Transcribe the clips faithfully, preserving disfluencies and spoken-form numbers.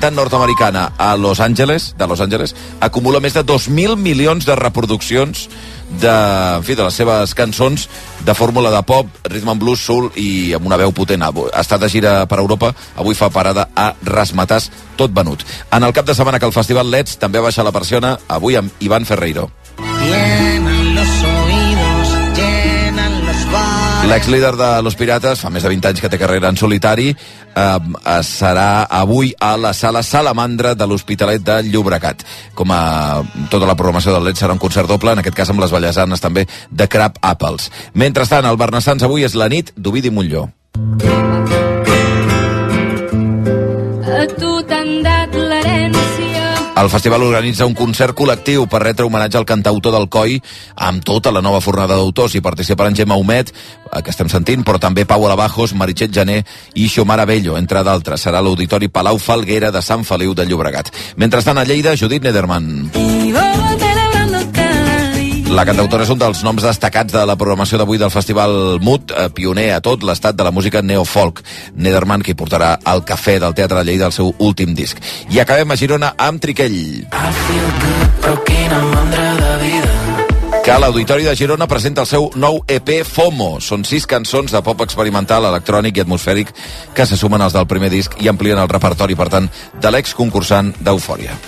cantant nord-americana a Los Angeles, de Los Angeles, acumula més de dos mil milions de reproduccions de, en fi, de les seves cançons de fórmula de pop, rhythm and blues, soul i amb una veu potent. Ha estat de gira per Europa, avui fa parada a Razzmatazz, tot venut. En el cap de setmana que el Festival Let's també ha baixat la persiana, avui amb Iván Ferreiro. L'ex-líder de Los Pirates, fa més de vint anys que té carrera en solitari, eh, serà avui a la sala Salamandra de l'Hospitalet de Llobregat. Com a tota la programació del Let's serà un concert doble, en aquest cas amb les ballesanes també de Crab Apples. Mentrestant, el Barnassans avui és la nit d'Ovidi Montllor. A tu t'han dat l'herència. El festival organitza un concert col·lectiu per retre homenatge al cantautor del Coi amb tota la nova fornada d'autors. Hi participaran Gemma Humet, que estem sentint, però també Pau Alabajos, Meritxell Jané i Xiomara Bello, entre d'altres. Serà l'Auditori Palau Falguera de Sant Feliu de Llobregat. Mentrestant, a Lleida, Judit Nederman. La cantautora és un dels noms destacats de la programació d'avui del Festival Mut, eh, pioner a tot l'estat de la música neofolk. Nederman, que hi portarà al Cafè del Teatre de Lleida el seu últim disc. I acabem a Girona amb Triquell, que l'Auditori de Girona presenta el seu nou E P FOMO. Són sis cançons de pop experimental, electrònic i atmosfèric que se sumen als del primer disc i amplien el repertori, per tant, de l'ex-concursant d'Eufòria.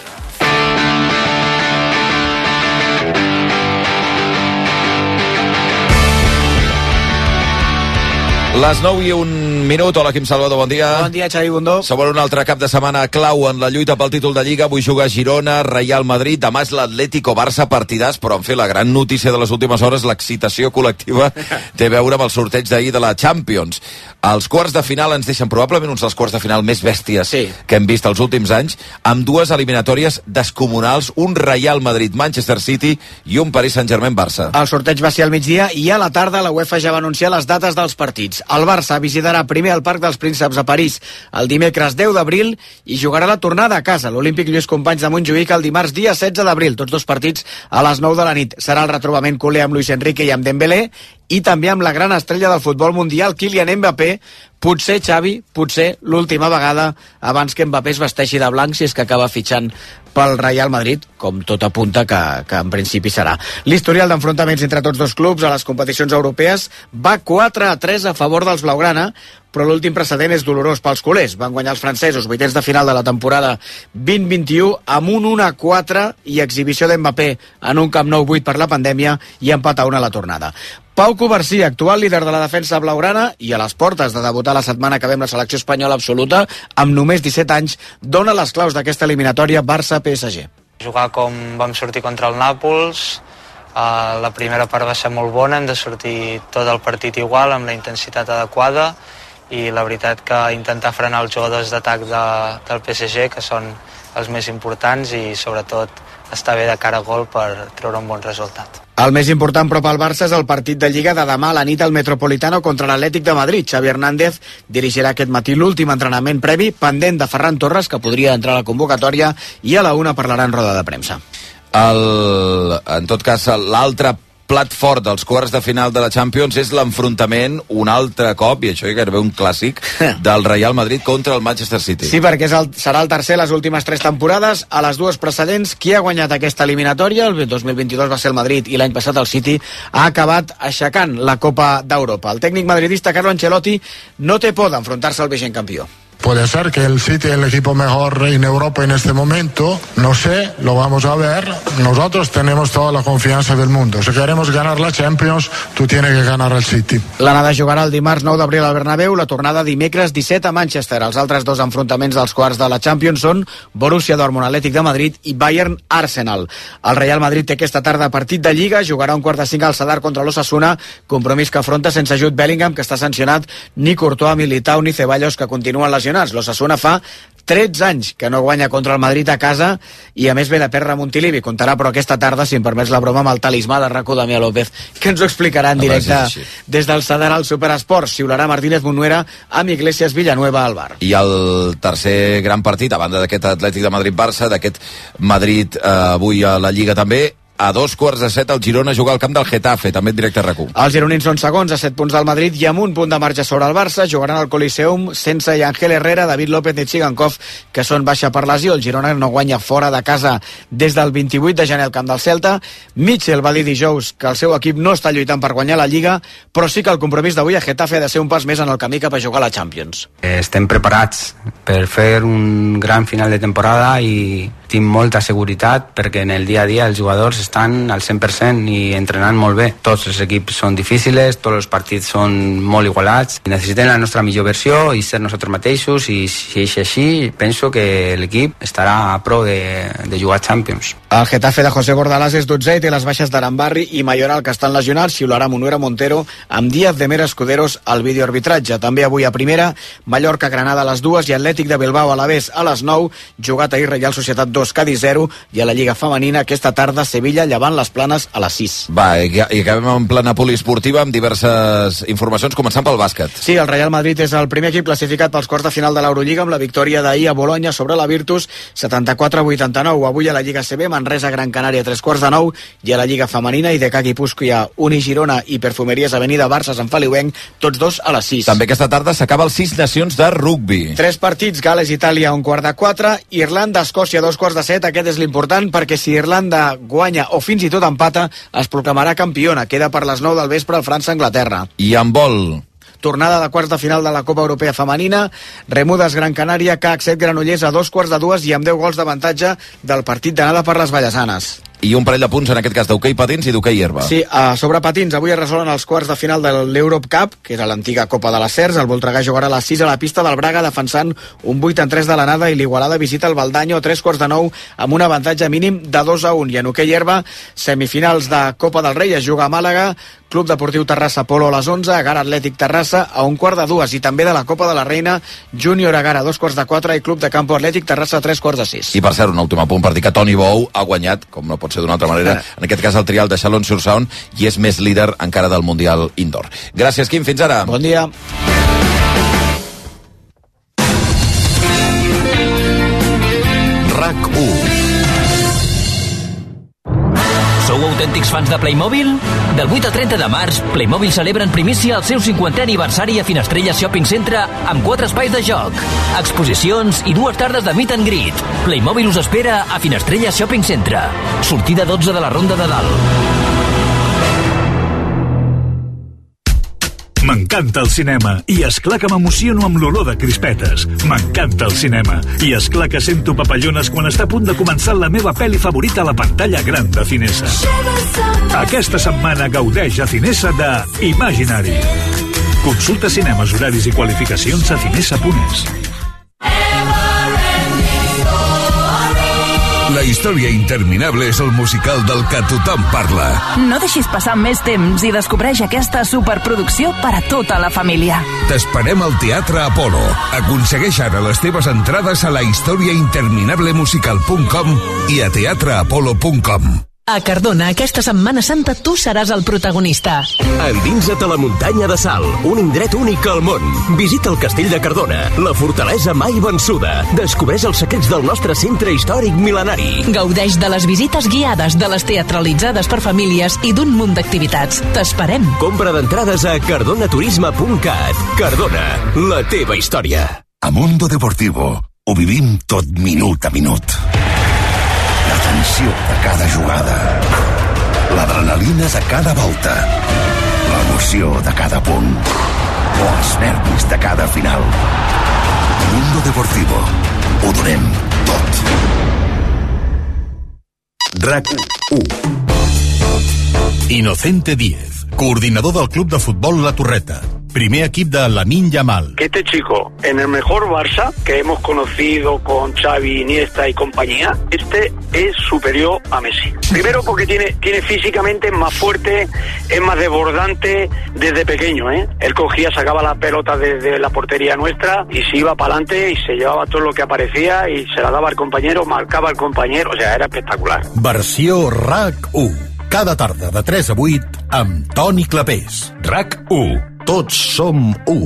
Les nou i un minut. Hola, Quim Salvador, bon dia. Bon dia, Xavi Bundó. Sobre un altre cap de setmana clau en la lluita pel títol de Lliga. Avui juga Girona, Real Madrid. Demà és l'Atlético Barça, partidàs, però en fi, la gran notícia de les últimes hores, l'excitació col·lectiva, té a veure amb el sorteig d'ahir de la Champions. Els quarts de final ens deixen probablement uns dels quarts de final més bèsties sí. que hem vist els últims anys, amb dues eliminatòries descomunals, un Real Madrid-Manchester City i un Paris Saint-Germain-Barça. El sorteig va ser al migdia i a la tarda la UEFA ja va anunciar les dates dels partits. El Barça visitarà primer el Parc dels Prínceps a París el dimecres deu d'abril i jugarà la tornada a casa, l'Olímpic Lluís Companys de Montjuïc, el dimarts dia setze d'abril, tots dos partits a les nou de la nit. Serà el retrobament culer amb Luis Enrique i amb Dembélé i també amb la gran estrella del futbol mundial, Kylian Mbappé, potser, Xavi, potser l'última vegada abans que Mbappé es vesteixi de blanc, si és que acaba fitxant pel Real Madrid, com tot apunta que, que en principi serà. L'historial d'enfrontaments entre tots dos clubs a les competicions europees va quatre a tres a favor dels blaugrana, però l'últim precedent és dolorós pels culers. Van guanyar els francesos vuitens de final de la temporada vint vint-i-u amb un un a quatre i exhibició d'Mbappé en un Camp Nou buit per la pandèmia i empat a una a la tornada. Pau Covarsí, actual líder de la defensa blaugrana i a les portes de debutar la setmana que ve amb la selecció espanyola absoluta, amb només disset anys, dona les claus d'aquesta eliminatòria Barça-P S G. Jugar com vam sortir contra el Nàpols, uh, la primera part va ser molt bona, hem de sortir tot el partit igual, amb la intensitat adequada, i la veritat que intentar frenar els jugadors d'atac de, del P S G, que són els més importants, i sobretot estar bé de cara a gol per treure un bon resultat. El més important però pel Barça és el partit de Lliga de demà a la nit al Metropolitano contra l'Atlètic de Madrid. Xavi Hernández dirigirà aquest matí l'últim entrenament previ, pendent de Ferran Torres, que podria entrar a la convocatòria, i a la una parlarà en roda de premsa. El, en tot cas, l'altre plat fort dels quarts de final de la Champions és l'enfrontament un altre cop, i això és gairebé un clàssic, del Real Madrid contra el Manchester City. Sí, perquè és el, serà el tercer les últimes tres temporades. A les dues precedents, qui ha guanyat aquesta eliminatòria? El dos mil vint-i-dos va ser el Madrid i l'any passat el City ha acabat aixecant la Copa d'Europa. El tècnic madridista Carlo Ancelotti no té por d'enfrontar-se al vigent campió. Puede ser que el City es el equipo mejor en Europa en este momento, no sé, lo vamos a ver. Nosotros tenemos toda la confianza del mundo. Si queremos ganar la Champions, tú tienes que ganar el City. L'anada jugarà el dimarts nou d'abril al Bernabéu, la tornada dimecres disset a Manchester. Els altres dos enfrontaments dels quarts de la Champions són Borussia Dortmund Atlètic de Madrid i Bayern Arsenal. El Real Madrid té aquesta tarda partit de Lliga, jugarà un quart de cinc al Sadar contra l'Osasuna, compromís que afronta sense Jude Bellingham, que està sancionat, ni Courtois, Militao ni Ceballos, que continuen lesionats. L'Osasuna fa tretze anys que no guanya contra el Madrid a casa i a més ve de perdre Montilivi. Comptarà però aquesta tarda, si em permets la broma, amb el talismà de RAC u Damià López, que ens ho explicarà en directe des del Sadar al Superesport. Xiularà Martínez Munuera amb Iglesias Villanueva al bar. I el tercer gran partit, a banda d'aquest Atlètic de Madrid-Barça, d'aquest Madrid eh, avui a la Lliga també, a dos quarts de set el Girona juga al camp del Getafe, també en directe a RAC u. Els gironins són segons, a set punts del Madrid i amb un punt de marge sobre el Barça. Jugaran al Coliseum sense Ángel Herrera, David López i Tsigankov, que són baixa per lesió. El Girona no guanya fora de casa des del vint-i-vuit de gener al camp del Celta. Mitchell va dir dijous que el seu equip no està lluitant per guanyar la Lliga, però sí que el compromís d'avui a Getafe ha de ser un pas més en el camí cap a jugar a la Champions. Estem preparats per fer un gran final de temporada i tinc molta seguretat perquè en el dia a dia els jugadors estan al cent per cent i entrenant molt bé. Tots els equips són difícils, tots els partits són molt igualats. Necessitem la nostra millor versió i ser nosaltres mateixos, i si és així, penso que l'equip estarà a pro de, de jugar Champions. El Getafe de José Bordalás és dotzè i té les baixes d'Arambarri i Mayoral, que estan lesionats, xiularà Munuera Montero amb Díaz de Mera Escuderos al videoarbitratge. També avui a primera, Mallorca Granada a les dues i Atlètic de Bilbao a l'Alavés a les nou, jugat ahir Reial Societat dos, Cádiz zero, i a la Lliga Femenina aquesta tarda Sevilla Llevant les Planes a les sis. Va, i, i acabem en plana poliesportiva amb diverses informacions, començant pel bàsquet. Sí, el Real Madrid és el primer equip classificat pels quarts de final de l'Eurolliga amb la victòria d'ahir a Bolonya sobre la Virtus, setanta-quatre a vuitanta-nou. Avui a la Lliga C B, Manresa Gran Canària tres quarts de nou, i a la Lliga Femenina I D K Guipúscoa, Uni Girona i Perfumeries Avenida Barça Sant Feliuenc, tots dos a les sis. També aquesta tarda s'acaba el Sis Nacions de rugbi. Tres partits, Gales Itàlia un quart de quatre, Irlanda Escòcia dos quarts de set. Aquest és l'important perquè si Irlanda guanya o fins i tot empata es proclamarà campiona. Queda per les nou del vespre el França-Anglaterra. I en vol, tornada de quarts de final de la Copa Europea Femenina, Remudes Gran Canària, C A C set Granollers a dos quarts de dues i amb deu gols d'avantatge del partit d'anada per les Vallesanes. I un parell de punts, en aquest cas, d'hoquei patins i d'hoquei herba. Sí, a sobre patins, avui es resolen els quarts de final de l'Europe Cup, que era l'antiga Copa de les Cers. El Voltregà jugarà a les sis a la pista del Braga, defensant un vuit en tres de l'anada, i l'Igualada visita el Valdanyo a tres quarts de nou amb un avantatge mínim de dos a un. I en hoquei herba, semifinals de Copa del Rei, es juga a Màlaga, Club Deportiu Terrassa Polo a les onze, Agar Atlètic Terrassa a un quart de dues, i també de la Copa de la Reina, Júnior Agar a dos quarts de quatre i Club de Campo Atlètic Terrassa a tres quarts de sis. I per cert, un últim apunt per dir que Toni Bou ha guanyat, com no pot ser d'una altra manera, en aquest cas el trial de Chalon-sur-Saône, i és més líder encara del Mundial Indoor. Gràcies, Quim, fins ara. Bon dia. RAC u. Sou autèntics fans de Playmobil? Del vuit al trenta de març, Playmobil celebra en primícia el seu cinquantè aniversari a Finestrella Shopping Centre amb quatre espais de joc, exposicions i dues tardes de meet and greet. Playmobil us espera a Finestrella Shopping Centre. Sortida dotze de la Ronda de Dalt. M'encanta el cinema i esclar que m'emociono amb l'olor de crispetes. M'encanta el cinema i esclar que sento papallones quan està a punt de començar la meva pel·li favorita a la pantalla gran de Cinesa. Aquesta setmana gaudeix a Cinesa de Imaginary. Consulta cinemes, horaris i qualificacions a cinesa punt es. La història interminable és el musical del que tothom parla. No deixis passar més temps i descobreix aquesta superproducció per a tota la família. T'esperem al Teatre Apolo. Aconsegueix ara les teves entrades a la història interminable musical punt com i a teatre apolo punt com. A Cardona, aquesta Setmana Santa, tu seràs el protagonista. Endinsa't a la muntanya de Sal, un indret únic al món. Visita el castell de Cardona, la fortalesa mai vençuda. Descobreix els secrets del nostre centre històric mil·lenari. Gaudeix de les visites guiades, de les teatralitzades per famílies i d'un munt d'activitats. T'esperem. Compra d'entrades a cardonaturisme punt cat. Cardona, la teva història. A Mundo Deportivo ho vivim tot minut a minut. La tensió de cada jugada, l'adrenalina de cada volta, l'emoció de cada punt o els nervis de cada final. Mundo Deportivo, ho donem tot. RAC u. Inocente Díez, coordinador del Club de Futbol La Torreta. Primer equip de Lamine Yamal. Que este chico, en el mejor Barça que hemos conocido con Xavi, Iniesta y compañía, este es superior a Messi. Primero porque tiene, tiene físicamente más fuerte, es más desbordante desde pequeño, ¿eh? Él cogía, sacaba la pelota desde la portería nuestra y se iba para adelante y se llevaba todo lo que aparecía y se la daba al compañero, marcaba al compañero, o sea, era espectacular. Versió RAC u. Cada tarda de tres a vuit amb Toni Clapés. RAC u. Tots som u.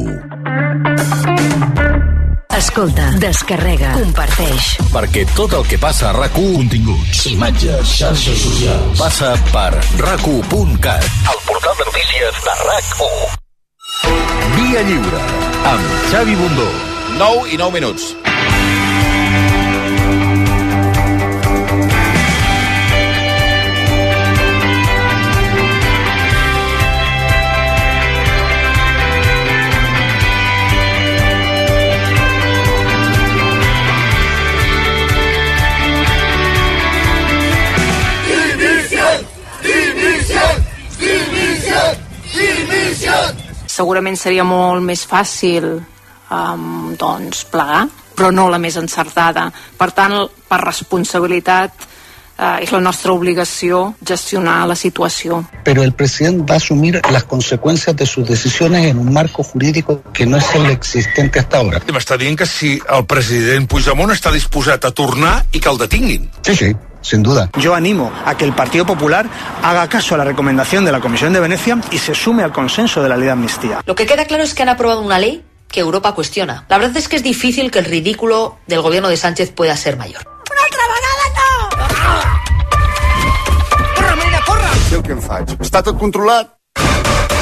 Escolta, descarrega, comparteix. Perquè tot el que passa a RAC u... Continguts, imatges, xarxes socials... passa per rac u punt cat, el portal de notícies de RAC u. Via Lliure, amb Xavi Bundó. nou i nou minuts. Segurament seria molt més fàcil um, doncs, plegar, però no la més encertada. Per tant, per responsabilitat, uh, és la nostra obligació gestionar la situació. Pero el presidente va a asumir las consecuencias de sus decisiones en un marco jurídico que no es el existente hasta ahora. M'està dient que si el president Puigdemont està disposat a tornar i que el detinguin. Sí, sí. Sin duda. Yo animo a que el Partido Popular haga caso a la recomendación de la Comisión de Venecia y se sume al consenso de la ley de amnistía. Lo que queda claro es que han aprobado una ley que Europa cuestiona. La verdad es que es difícil que el ridículo del gobierno de Sánchez pueda ser mayor. Una altra vegada no! Corre, Marina, corre! Sé què em faig. Està tot controlat?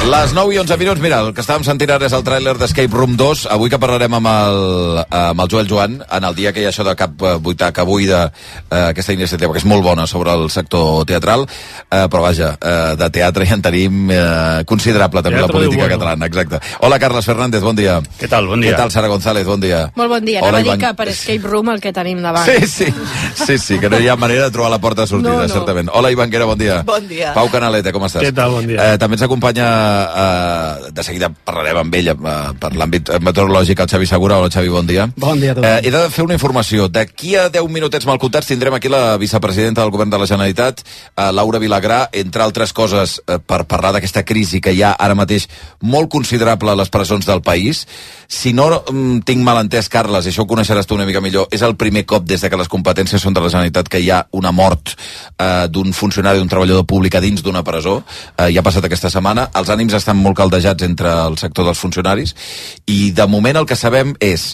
Les nou i onze minuts, mira, el que estàvem sentint ara és el tràiler d'Escape Room dos. Avui que parlarem amb el, amb el Joel Joan, en el dia que hi ha això de Cap Buitaca avui d'aquesta iniciativa, que és molt bona sobre el sector teatral, eh, però vaja, eh, de teatre ja en tenim eh, considerable també teatre la política bueno. catalana, exacte. Hola, Carles Fernández, bon dia. Què tal, bon dia. Què tal, Sara González, bon dia. Molt bon dia, anava a dir que per Escape Room el que tenim davant. Sí, sí, sí, sí, que no hi ha manera de trobar la porta de sortida, no, no. certament. Hola, Ivanguera, bon dia. Bon dia. Pau Canaleta, com estàs? Què tal, bon dia. Eh, també ens acompanya eh, de seguida parlarem amb ell uh, per l'àmbit meteorològic, el Xavi Segura. Hola, Xavi, bon dia. Bon dia a tots. Eh, he de fer una informació. D'aquí a deu minutets mal comptats tindrem aquí la vicepresidenta del govern de la Generalitat, uh, Laura Vilagrà, entre altres coses, uh, per parlar d'aquesta crisi que hi ha ara mateix molt considerable a les presons del país. Si no um, tinc mal entès, Carles, i això ho coneixeràs tu una mica millor, és el primer cop des de que les competències són de la Generalitat que hi ha una mort uh, d'un funcionari, d'un treballador públic a dins d'una presó. Uh, ja ha passat aquesta setmana. Els ànims estan molt caldejats entre el sector dels funcionaris i de moment el que sabem és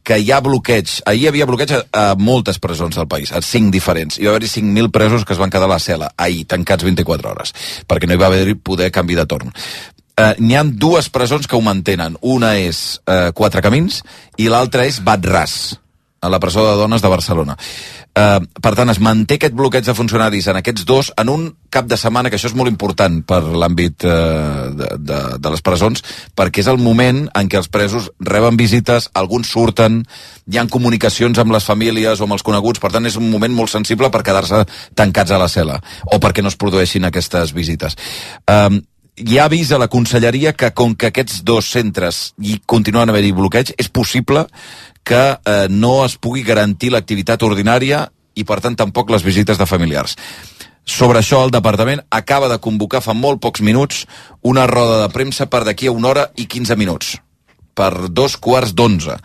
que hi ha bloqueig, ahir hi havia bloqueig a, a moltes presons del país, a cinc diferents. Hi va haver-hi cinc mil presos que es van quedar a la cel·la ahir, tancats vint-i-quatre hores, perquè no hi va haver-hi poder canvi de torn. Uh, n'hi ha dues presons que ho mantenen. Una és uh, Quatre Camins i l'altra és Bat-ras, a la presó de dones de Barcelona. Uh, per tant, es manté aquest bloqueig de funcionaris en aquests dos en un cap de setmana, que això és molt important per l'àmbit uh, de, de, de les presons, perquè és el moment en què els presos reben visites, alguns surten, hi ha comunicacions amb les famílies o amb els coneguts, per tant és un moment molt sensible per quedar-se tancats a la cel·la, o perquè no es produeixin aquestes visites. Um, hi ha avís a la conselleria que com que aquests dos centres hi continuen a haver-hi bloqueig, és possible que eh, no es pugui garantir l'activitat ordinària i, per tant, tampoc les visites de familiars. Sobre això, el departament acaba de convocar fa molt pocs minuts una roda de premsa per d'aquí a una hora i quinze minuts, per dos quarts d'onze.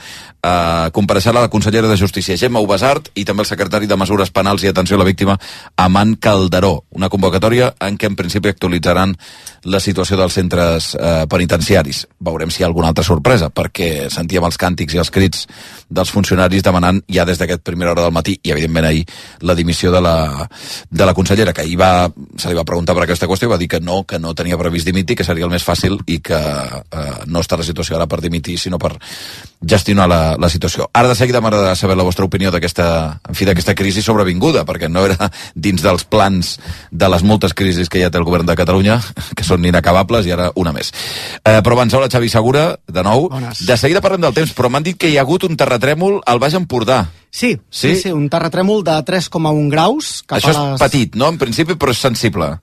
Uh, compareixerà la consellera de Justícia, Gemma Ubasart, i també el secretari de Mesures Penals i Atenció a la Víctima, Aman Calderó. Una convocatòria en què en principi actualitzaran la situació dels centres uh, penitenciaris. Veurem si hi ha alguna altra sorpresa, perquè sentíem els càntics i els crits dels funcionaris demanant ja des d'aquest primera hora del matí, i evidentment ahir, la dimissió de la, de la consellera, que ahir va, se li va preguntar per aquesta qüestió i va dir que no, que no tenia previst dimitir, que seria el més fàcil i que uh, no està la situació ara per dimitir, sinó per gestionar la, la situació. Ara de seguida m'agradarà saber la vostra opinió d'aquesta, en fi, d'aquesta crisi sobrevinguda, perquè no era dins dels plans de les moltes crisis que ja té el govern de Catalunya, que són inacabables, i ara una més. Eh, però abans, hola, Xavi Segura, de nou. Bones. De seguida parlem del temps, però m'han dit que hi ha hagut un terratrèmol al Baix Empordà. Sí, sí, sí, sí, un terratrèmol de tres coma un graus. Cap Això a les... és petit, no?, en principi, però és sensible.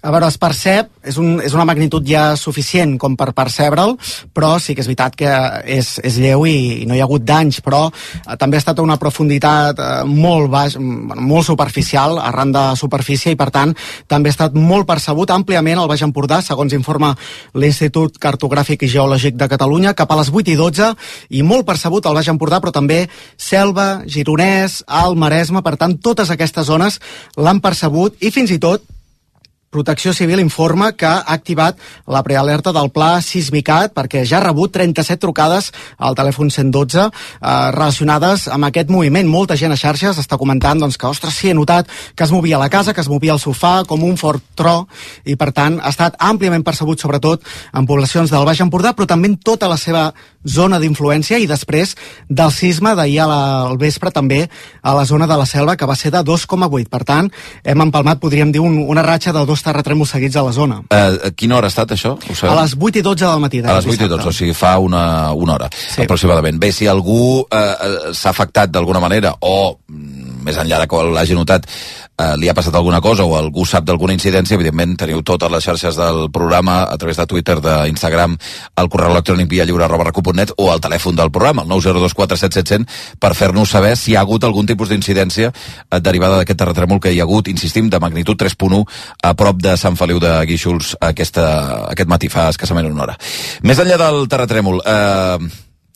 A veure, es percep, és, un, és una magnitud ja suficient com per percebre'l, però sí que és veritat que és, és lleu i, i no hi ha hagut danys, però eh, també ha estat a una profunditat eh, molt baix, bueno, molt superficial, arran de superfície, i per tant també ha estat molt percebut àmpliament al Baix Empordà, segons informa l'Institut Cartogràfic i Geològic de Catalunya, cap a les vuit i dotze, i molt percebut al Baix Empordà, però també Selva, Gironès, Alt Maresme, per tant totes aquestes zones l'han percebut, i fins i tot Protecció Civil informa que ha activat la prealerta del pla Sismicat perquè ja ha rebut trenta-set trucades al telèfon cent dotze eh, relacionades amb aquest moviment. Molta gent a xarxes està comentant doncs, que, ostres, sí, he notat que es movia la casa, que es movia el sofà, com un fort tro, i per tant ha estat àmpliament percebut, sobretot en poblacions del Baix Empordà, però també en tota la seva zona d'influència, i després del sisme d'ahir al vespre també a la zona de la Selva, que va ser de dos coma vuit. Per tant, hem empalmat, podríem dir, un, una ratxa de dos terratrèmols seguits a la zona. Uh, a quina hora ha estat això? A les vuit i dotze del matí. A les vuit i dotze, o sigui, fa una, una hora, sí, aproximadament. Bé, si algú uh, s'ha afectat d'alguna manera, o més enllà de que l'hagi notat, eh, li ha passat alguna cosa o algú sap d'alguna incidència, evidentment teniu totes les xarxes del programa a través de Twitter, d'Instagram, el correu electrònic viallliure arroba rac u punt net o el telèfon del programa, el nou zero dos quatre set set zero zero, per fer-nos saber si hi ha hagut algun tipus d'incidència eh, derivada d'aquest terratrèmol que hi ha hagut, insistim, de magnitud tres punt u a prop de Sant Feliu de Guíxols aquesta, aquest matí, fa escassament una hora. Més enllà del terratrèmol, eh,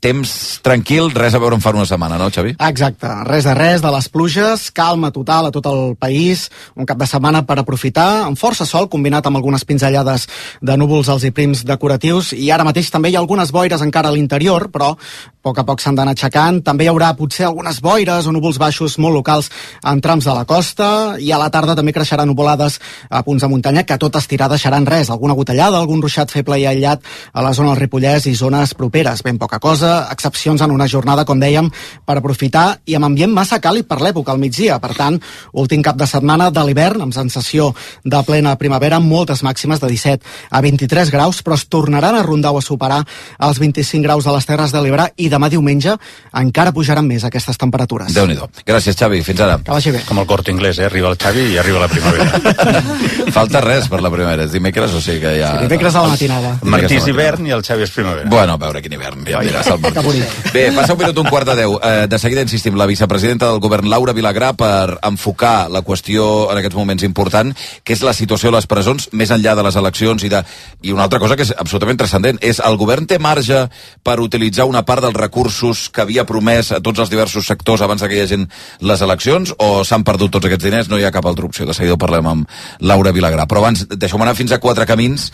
temps tranquil, res a veure en fa una setmana, no, Xavi? Exacte, res de res de les pluges, calma total a tot el país, un cap de setmana per aprofitar, amb força sol, combinat amb algunes pinzellades de núvols als i prims decoratius, i ara mateix també hi ha algunes boires encara a l'interior, però a poc a poc s'han d'anar aixecant. També hi haurà potser algunes boires o núvols baixos molt locals en trams de la costa, i a la tarda també creixeran nuvolades a punts de muntanya que tot estirar deixaran res, alguna gotellada, algun ruixat feble i aïllat a la zona del Ripollès i zones properes, ben poca cosa, excepcions en una jornada, com dèiem, per aprofitar, i amb ambient massa càlid per l'època, al migdia. Per tant, últim cap de setmana de l'hivern, amb sensació de plena primavera, amb moltes màximes de disset a vint-i-tres graus, però es tornaran a rondar o a superar els vint-i-cinc graus de les Terres de l'Ebre, i demà diumenge encara pujaran més aquestes temperatures. Déu-n'hi-do. Gràcies, Xavi. Fins ara. Que vagi bé. Com el Corte Inglés, eh? Arriba el Xavi i arriba la primavera. Falta res per la primavera. És dimecres, o sigui que ja... Sí, dimecres a la matinada. Martí és hivern i el Xavi és primavera. Bueno, a veure quin hivern. Ja em diràs el Martí. Bé, passa un minut un quart de deu. Eh, de seguida insistim, la vicepresidenta del govern, Laura Vilagrà, per enfocar la qüestió en aquests moments important, que és la situació a les presons, més enllà de les eleccions i de... I una altra cosa que és absolutament transcendent, és el govern té marge per utilitzar una part dels recursos que havia promès a tots els diversos sectors abans que hi hagin les eleccions, o s'han perdut tots aquests diners? No hi ha cap altra opció. De seguida ho parlem amb Laura Vilagrà. Però abans, deixeu-me anar fins a Quatre Camins,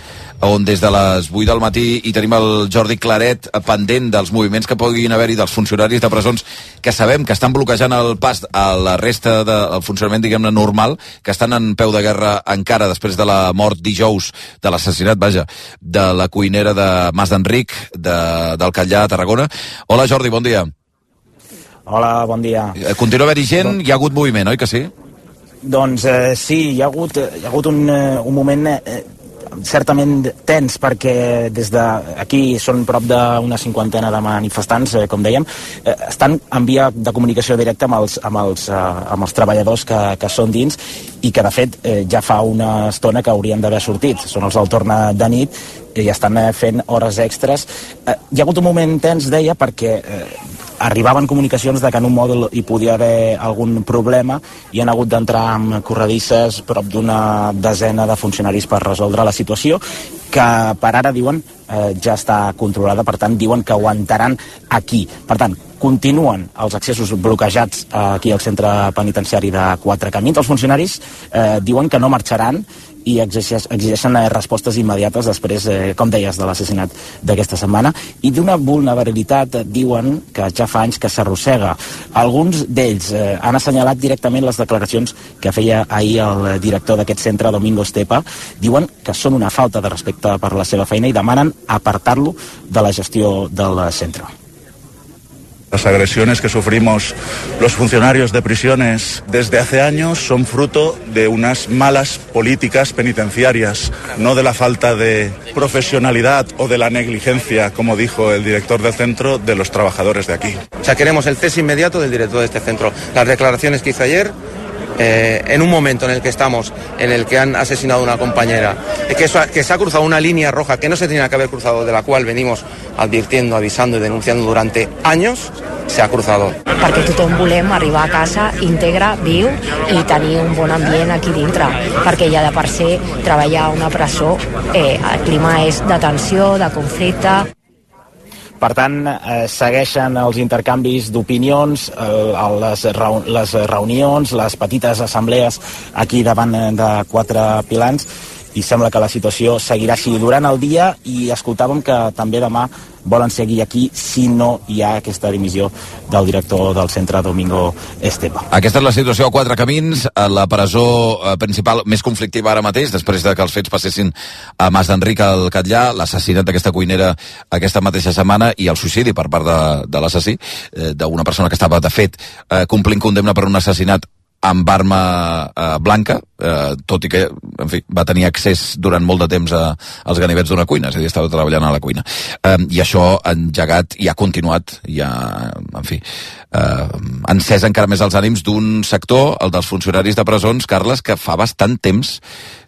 on des de les vuit del matí hi tenim el Jordi Claret pendent dels moviments que puguin haver-hi dels funcionaris de presons, que sabem que estan bloquejant el pas a la resta del funcionament, diguem-ne, normal, que estan en peu de guerra encara després de la mort dijous, de l'assassinat, vaja, de la cuinera de Mas d'Enric, de, del Catllà, a Tarragona. Hola, Jordi, bon dia. Hola, bon dia. Continua haver-hi gent, hi ha hagut moviment, oi que sí? Doncs eh, sí, hi ha hagut, hi ha hagut un, un moment eh, certament tens, perquè des d'aquí són prop d'una cinquantena de manifestants, eh, com dèiem, eh, estan en via de comunicació directa amb els, amb els, eh, amb els treballadors que, que són dins, i que de fet eh, ja fa una estona que haurien d'haver sortit. Són els del torn de nit i estan eh, fent hores extres. Eh, hi ha hagut un moment tens, deia, perquè eh, arribaven comunicacions de que en un mòdul hi podia haver algun problema i han hagut d'entrar amb corredisses prop d'una desena de funcionaris per resoldre la situació, que per ara diuen eh, ja està controlada, per tant diuen que aguantaran aquí. Per tant, continuen els accessos bloquejats aquí al centre penitenciari de Quatre Camins. Els funcionaris eh, diuen que no marxaran i exigeixen respostes immediates després, eh, com deies, de l'assassinat d'aquesta setmana, i d'una vulnerabilitat, diuen, que ja fa anys que s'arrossega. Alguns d'ells eh, han assenyalat directament les declaracions que feia ahir el director d'aquest centre, Domingo Estepa. Diuen que són una falta de respecte per la seva feina i demanen apartar-lo de la gestió del centre. Las agresiones que sufrimos los funcionarios de prisiones desde hace años son fruto de unas malas políticas penitenciarias, no de la falta de profesionalidad o de la negligencia, como dijo el director del centro, de los trabajadores de aquí. O sea, queremos el cese inmediato del director de este centro. Las declaraciones que hizo ayer, eh, en un momento en el que estamos, en el que han asesinado a una compañera, que, eso, que se ha cruzado una línea roja que no se tenía que haber cruzado, de la cual venimos advirtiendo, avisando y denunciando durante años, se ha cruzado. Perquè tothom volem arribar a casa íntegre, viu, i tenir un bon ambient aquí dintre, perquè ja de per si treballar a una presó, eh, el clima és de tensió, de conflicte. Per tant, eh, segueixen els intercanvis d'opinions, eh, les, reu les reunions, les petites assemblees aquí davant de quatre pilans, i sembla que la situació seguirà així durant el dia, i escoltàvem que també demà volen seguir aquí si no hi ha aquesta dimissió del director del centre, Domingo Estepa. Aquesta és la situació a Quatre Camins, a la presó principal més conflictiva ara mateix, després de que els fets passessin a Mas d'Enric al Catllà, l'assassinat d'aquesta cuinera aquesta mateixa setmana i el suïcidi per part de, de l'assassí, eh, d'una persona que estava, de fet, eh, complint condemna per un assassinat amb arma eh, blanca, eh, tot i que, en fi, va tenir accés durant molt de temps a, als ganivets d'una cuina, és a dir, estava treballant a la cuina. Eh, I això ha engegat i ha continuat, i ha, en fi, eh, encès encara més els ànims d'un sector, el dels funcionaris de presons, Carles, que fa bastant temps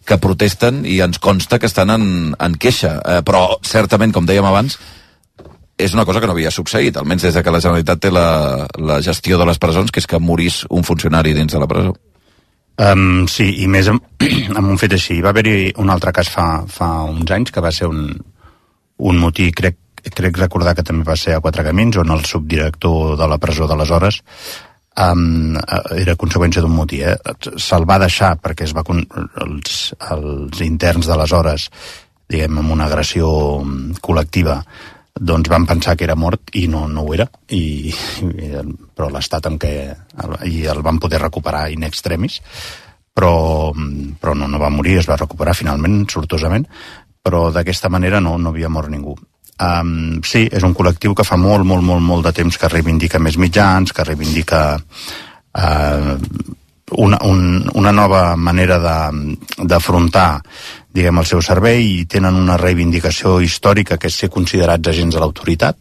que protesten i ens consta que estan en, en queixa. Eh, però, certament, com dèiem abans, és una cosa que no havia succeït, almenys des de que la Generalitat té la, la gestió de les presons, que és que morís un funcionari dins de la presó. Um, sí, i més amb, amb un fet així. Va haver-hi un altre cas fa, fa uns anys, que va ser un, un motí, crec, crec recordar que també va ser a Quatre Camins, on el subdirector de la presó d'aleshores um, era conseqüència d'un motí. Eh? Se'l va deixar perquè es va con els, els interns d'aleshores, diguem, amb una agressió col·lectiva, doncs van pensar que era mort i no, no ho era, i, i, però l'estat en què el, i el van poder recuperar in extremis, però, però no, no va morir, es va recuperar finalment, sortosament, però d'aquesta manera no, no havia mort ningú. Um, sí, és un col·lectiu que fa molt, molt, molt, molt de temps que reivindica més mitjans, que reivindica uh, una, un, una nova manera d'afrontar, diguem, el seu servei, i tenen una reivindicació històrica que és ser considerats agents de l'autoritat.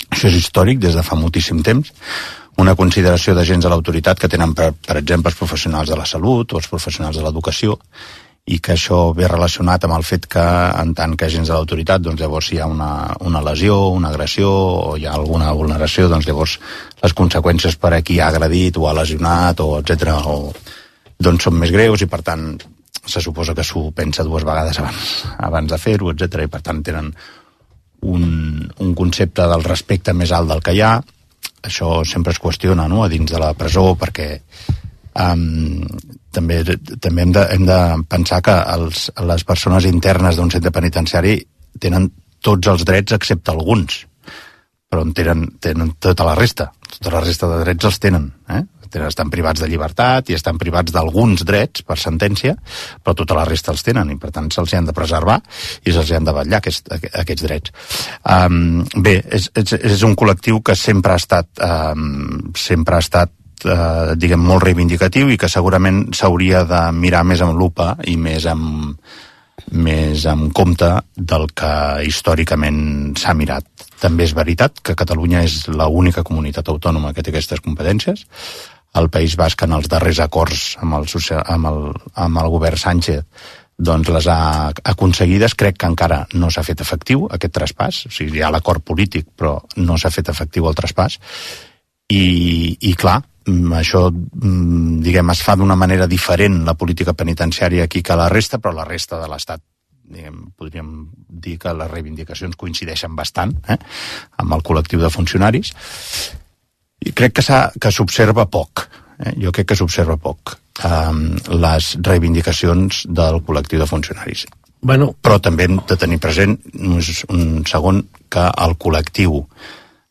Això és històric des de fa moltíssim temps. Una consideració d'agents de l'autoritat que tenen, per, per exemple, els professionals de la salut o els professionals de l'educació, i que això ve relacionat amb el fet que, en tant que agents de l'autoritat, doncs llavors si hi ha una, una lesió, una agressió, o hi ha alguna vulneració, doncs llavors les conseqüències per a qui ha agredit o ha lesionat, o etcètera, o, doncs són més greus, i per tant se suposa que s'ho pensa dues vegades abans, abans de fer-ho, etcètera, i per tant tenen un, un concepte del respecte més alt del que hi ha. Això sempre es qüestiona, no?, a dins de la presó, perquè um, també, també hem, de, hem de pensar que els, les persones internes d'un centre penitenciari tenen tots els drets excepte alguns, però en tenen, tenen tota la resta, tota la resta de drets els tenen, eh? Estan privats de llibertat i estan privats d'alguns drets per sentència, però tota la resta els tenen, i per tant se'ls han de preservar i se'ls han de vetllar aquest, aquests drets. Um, bé, és, és, és un col·lectiu que sempre ha estat, um, sempre ha estat uh, diguem, molt reivindicatiu, i que segurament s'hauria de mirar més amb lupa i més amb, més amb compte del que històricament s'ha mirat. També és veritat que Catalunya és l'única comunitat autònoma que té aquestes competències. El País Basc, en els darrers acords amb el, amb el, amb el govern Sánchez, doncs les ha aconseguides. Crec que encara no s'ha fet efectiu aquest traspàs, o sigui, hi ha l'acord polític, però no s'ha fet efectiu el traspàs, i, i clar, això, diguem, es fa d'una manera diferent la política penitenciària aquí que la resta, però la resta de l'Estat, diguem, podríem dir que les reivindicacions coincideixen bastant, eh, amb el col·lectiu de funcionaris, i crec que, que s'observa poc, eh? jo crec que s'observa poc um, les reivindicacions del col·lectiu de funcionaris. Bueno. Però també hem de tenir present un segon que el col·lectiu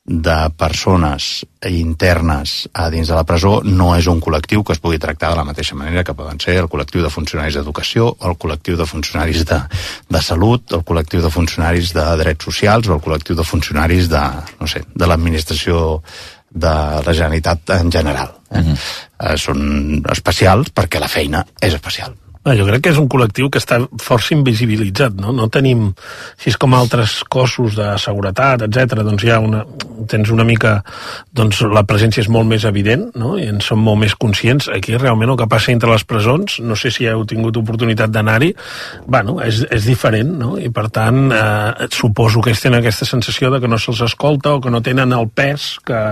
de persones internes a dins de la presó no és un col·lectiu que es pugui tractar de la mateixa manera que poden ser el col·lectiu de funcionaris d'educació, el col·lectiu de funcionaris de, de salut, el col·lectiu de funcionaris de drets socials o el col·lectiu de funcionaris de, no sé, de l'administració de la Generalitat en general. Eh? Uh-huh. eh, són especials perquè la feina és especial. Jo crec que és un col·lectiu que està força invisibilitzat, no? No tenim, si és com altres cossos de seguretat, etcètera, doncs hi ha una, tens una mica, doncs la presència és molt més evident, no? I en som molt més conscients. Aquí realment el que passa entre les presons, no sé si heu tingut oportunitat d'anar-hi, bueno, és, és diferent, no? I per tant, eh, suposo que ells tenen aquesta sensació de que no se'ls escolta o que no tenen el pes que,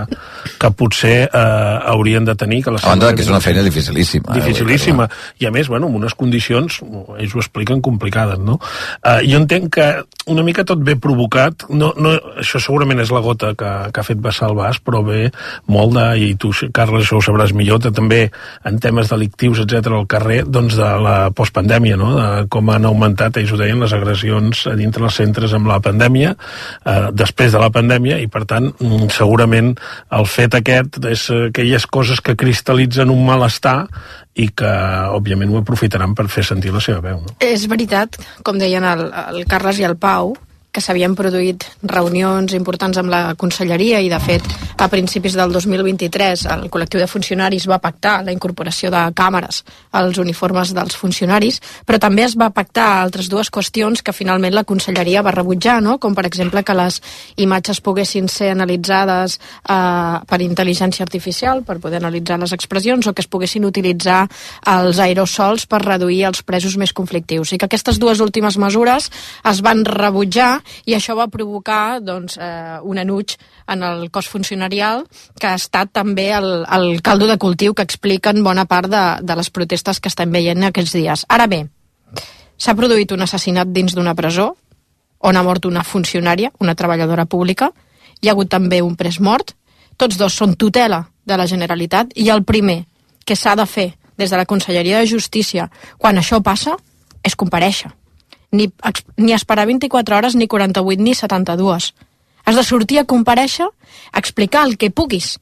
que potser eh, haurien de tenir. Que la a banda que és una feina dificilíssima. Dificilíssima. Eh? I a més, bueno, amb unes condicions, ells ho expliquen, complicades, no? Uh, jo entenc que una mica tot ve provocat, no, no, això segurament és la gota que, que ha fet vessar el vas, però ve molt de, i tu, Carles, això ho sabràs millor, de, també en temes delictius, etcètera, al carrer, doncs de la postpandèmia, no? De com han augmentat, ells ho deien, les agressions a dintre els centres amb la pandèmia, eh, després de la pandèmia, i per tant, segurament el fet aquest és aquelles coses que cristal·litzen un malestar i que, òbviament, ho aprofitaran per fer sentir la seva veu, no? És veritat, com deien el, el Carles i el Pau, que s'havien produït reunions importants amb la conselleria i, de fet, a principis del dos mil vint-i-tres el col·lectiu de funcionaris va pactar la incorporació de càmeres als uniformes dels funcionaris, però també es va pactar altres dues qüestions que finalment la conselleria va rebutjar, no? Com per exemple que les imatges poguessin ser analitzades eh, per intel·ligència artificial, per poder analitzar les expressions, o que es poguessin utilitzar els aerosols per reduir els presos més conflictius. I que aquestes dues últimes mesures es van rebutjar i això va provocar doncs, eh, un enuig en el cos funcionarial que ha estat també el, el caldo de cultiu que expliquen bona part de, de les protestes que estem veient aquests dies. Ara bé, s'ha produït un assassinat dins d'una presó on ha mort una funcionària, una treballadora pública, hi ha hagut també un pres mort, tots dos són tutela de la Generalitat i el primer que s'ha de fer des de la Conselleria de Justícia quan això passa és comparèixer. Ni, ni esperar vint-i-quatre hores, ni quaranta-vuit, ni setanta-dues. Has de sortir a comparèixer, a explicar el que puguis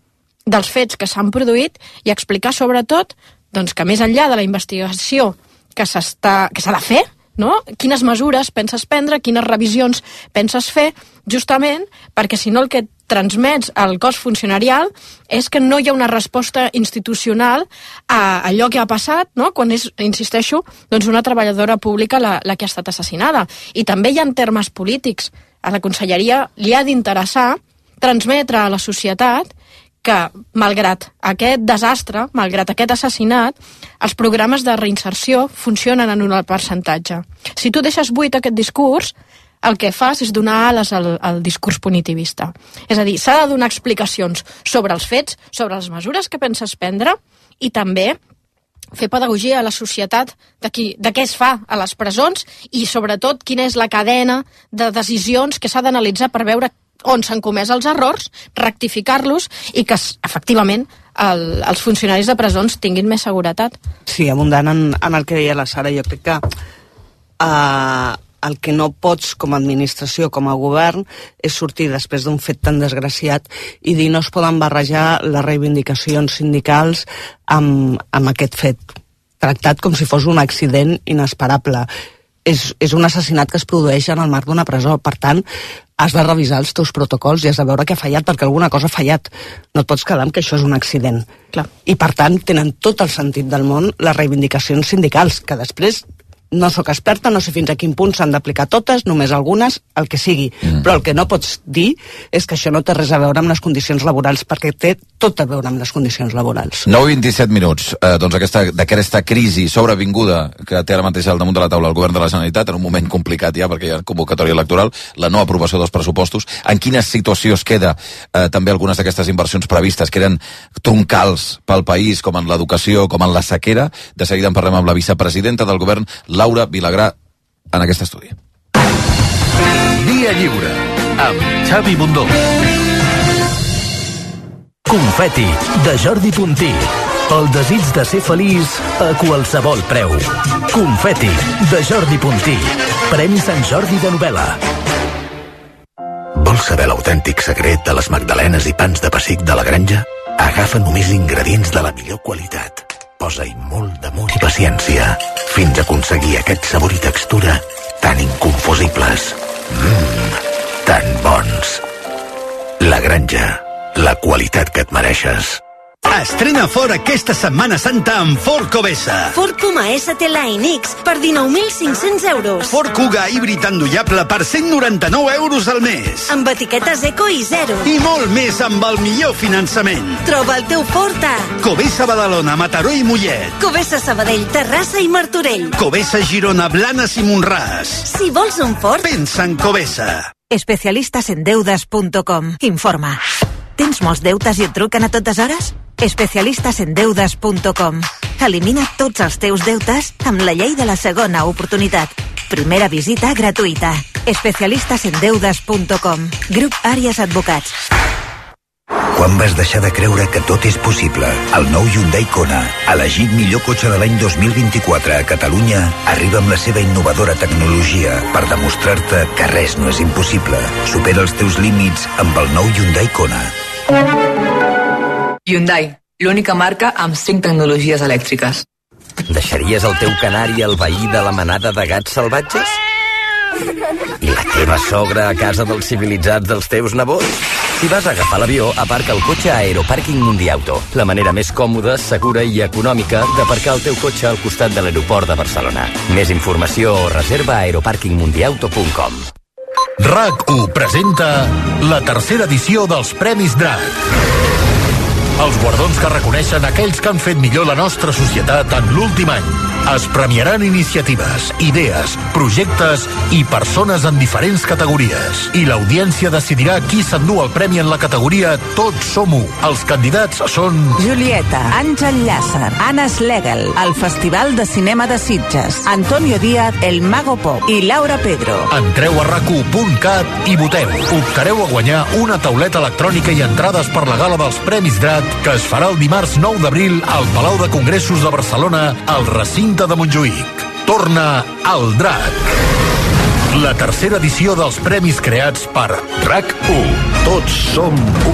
dels fets que s'han produït i explicar sobretot doncs, que més enllà de la investigació que s'està que s'ha de fer, no? Quines mesures penses prendre, quines revisions penses fer, justament perquè si no el que transmets al cos funcionarial és que no hi ha una resposta institucional a allò que ha passat, no? Quan és, insisteixo, doncs una treballadora pública la, la que ha estat assassinada. I també hi ha termes polítics. A la conselleria li ha d'interessar transmetre a la societat que, malgrat aquest desastre, malgrat aquest assassinat, els programes de reinserció funcionen en un alt percentatge. Si tu deixes buit aquest discurs, el que fas és donar ales al, al discurs punitivista. És a dir, s'ha de donar explicacions sobre els fets, sobre les mesures que penses prendre i també fer pedagogia a la societat de, qui, de què es fa a les presons i, sobretot, quina és la cadena de decisions que s'ha d'analitzar per veure on s'han comès els errors, rectificar-los i que, efectivament, el, els funcionaris de presons tinguin més seguretat. Sí, abundant en, en el que deia la Sara, jo crec que uh, el que no pots com a administració, com a govern, és sortir després d'un fet tan desgraciat i dir no es poden barrejar les reivindicacions sindicals amb, amb aquest fet, tractat com si fos un accident inesperable. És, és un assassinat que es produeix en el marc d'una presó, per tant, has de revisar els teus protocols i has de veure què ha fallat, perquè alguna cosa ha fallat. No et pots quedar amb que això és un accident. Clar. I, per tant, tenen tot el sentit del món les reivindicacions sindicals, que després no sóc experta, no sé fins a quin punt s'han d'aplicar totes, només algunes, el que sigui. Mm. Però el que no pots dir és que això no té res a veure amb les condicions laborals, perquè té tot a veure amb les condicions laborals. nou i vint-i-set minuts. Eh, doncs aquesta, d'aquesta crisi sobrevinguda que té ara mateix al damunt de la taula el govern de la Generalitat, en un moment complicat ja, perquè hi ha convocatòria electoral, la no aprovació dels pressupostos. En quina situació es queda eh, també algunes d'aquestes inversions previstes que eren troncals pel país, com en l'educació, com en la sequera? De seguida en parlem amb la vicepresidenta del govern, Laura Vilagrà, en aquest estudi. Via Lliure, amb Xavi Bundó. Confeti, de Jordi Puntí. El desig de ser feliç a qualsevol preu. Confeti, de Jordi Puntí. Premi Sant Jordi de novel·la. Vols saber l'autèntic secret de les magdalenes i pans de pessic de la granja? Agafa només ingredients de la millor qualitat. Posa-hi molt d'amor i paciència fins a aconseguir aquest sabor i textura tan inconfusibles. Mmm, tan bons. La granja, la qualitat que et mereixes. Estrena Ford aquesta Setmana Santa amb Ford Covesa. Ford Puma S T Line X per dinou mil cinc-cents euros. Ford Kuga híbrid endollable per cent noranta-nou euros al mes. Amb etiquetes eco i zero. I molt més amb el millor finançament. Troba el teu Ford a Covesa Badalona, Mataró i Mollet. Covesa Sabadell, Terrassa i Martorell. Covesa Girona, Blanes i Montràs. Si vols un Ford, pensa en Covesa. Especialistas en deudas punto com informa. Tens molts deutes i et truquen a totes hores? Especialistas en deudas punto com. Elimina tots els teus deutes amb la llei de la segona oportunitat. Primera visita gratuïta. especialistas en deudas punto com. Grup Àries Advocats. Quan vas deixar de creure que tot és possible? El nou Hyundai Kona, elegit millor cotxe de l'any dos mil vint-i-quatre a Catalunya, arriba amb la seva innovadora tecnologia per demostrar-te que res no és impossible. Supera els teus límits amb el nou Hyundai Kona. Hyundai, l'única marca amb cinc tecnologies elèctriques. Deixaries el teu canari al veí de la manada de gats salvatges? I la teva sogra a casa dels civilitzats dels teus nebots? Si vas a agafar l'avió, aparca el cotxe a Aeropàrquing Mundiauto, la manera més còmoda, segura i econòmica d'aparcar el teu cotxe al costat de l'aeroport de Barcelona. Més informació o reserva a aeropàrquing mundiauto punt com. RAC u presenta la tercera edició dels Premis Drac. Els guardons que reconeixen aquells que han fet millor la nostra societat en l'últim any. Es premiaran iniciatives, idees, projectes i persones en diferents categories. I l'audiència decidirà qui s'endú el premi en la categoria Tots som u. Els candidats són... Julieta, Àngel Llàcer, Anna Schlegel, el Festival de Cinema de Sitges, Antonio Díaz, El Mago Pop i Laura Pedro. Entreu a rac u punt cat i voteu. Optareu a guanyar una tauleta electrònica i entrades per la gala dels Premis Drac que es farà el dimarts nou d'abril al Palau de Congressos de Barcelona, al recinte de Montjuïc. Torna al Drac. La tercera edició dels premis creats per RAC u. Tots som u.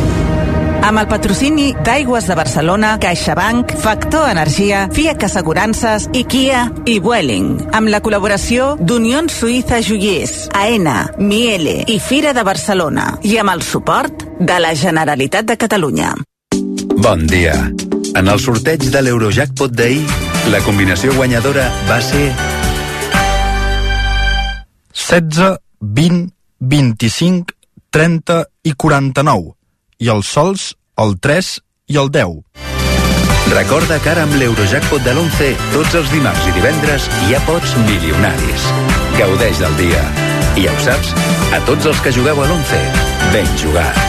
Amb el patrocini d'Aigües de Barcelona, CaixaBank, Factor Energia, Fiat Assegurances i Kia i Vueling. Amb la col·laboració d'Unió Suïssa Joiers, AENA, Miele i Fira de Barcelona. I amb el suport de la Generalitat de Catalunya. Bon dia. En el sorteig de l'Eurojackpot d'ahir, la combinació guanyadora va ser... setze, vint, vint-i-cinc, trenta i quaranta-nou. I els sols, el tres i el deu. Recorda que ara amb l'Eurojackpot de l'onze, tots els dimarts i divendres hi ha pots milionaris. Gaudeix del dia. I ja ho saps, a tots els que jugueu a l'onze, ben jugat.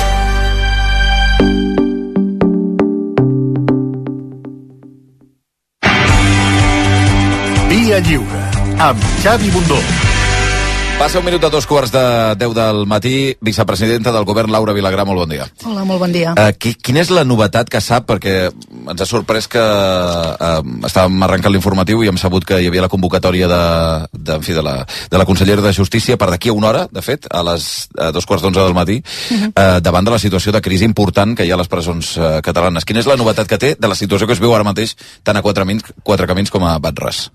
Via Lliure, amb Xavi Bundó. Passa un minut a dos quarts de deu del matí. Vicepresidenta del govern, Laura Vilagrà, molt bon dia. Hola, molt bon dia. Uh, qui, quina és la novetat que sap? Perquè ens ha sorprès que uh, estàvem arrencant l'informatiu i hem sabut que hi havia la convocatòria de, de, en fi, de, la, de la consellera de Justícia per d'aquí a una hora, de fet, a les a dos quarts d'onze del matí, uh-huh. uh, davant de la situació de crisi important que hi ha a les presons uh, catalanes. Quina és la novetat que té de la situació que es viu ara mateix tant a Quatre Camins, quatre camins com a Batres?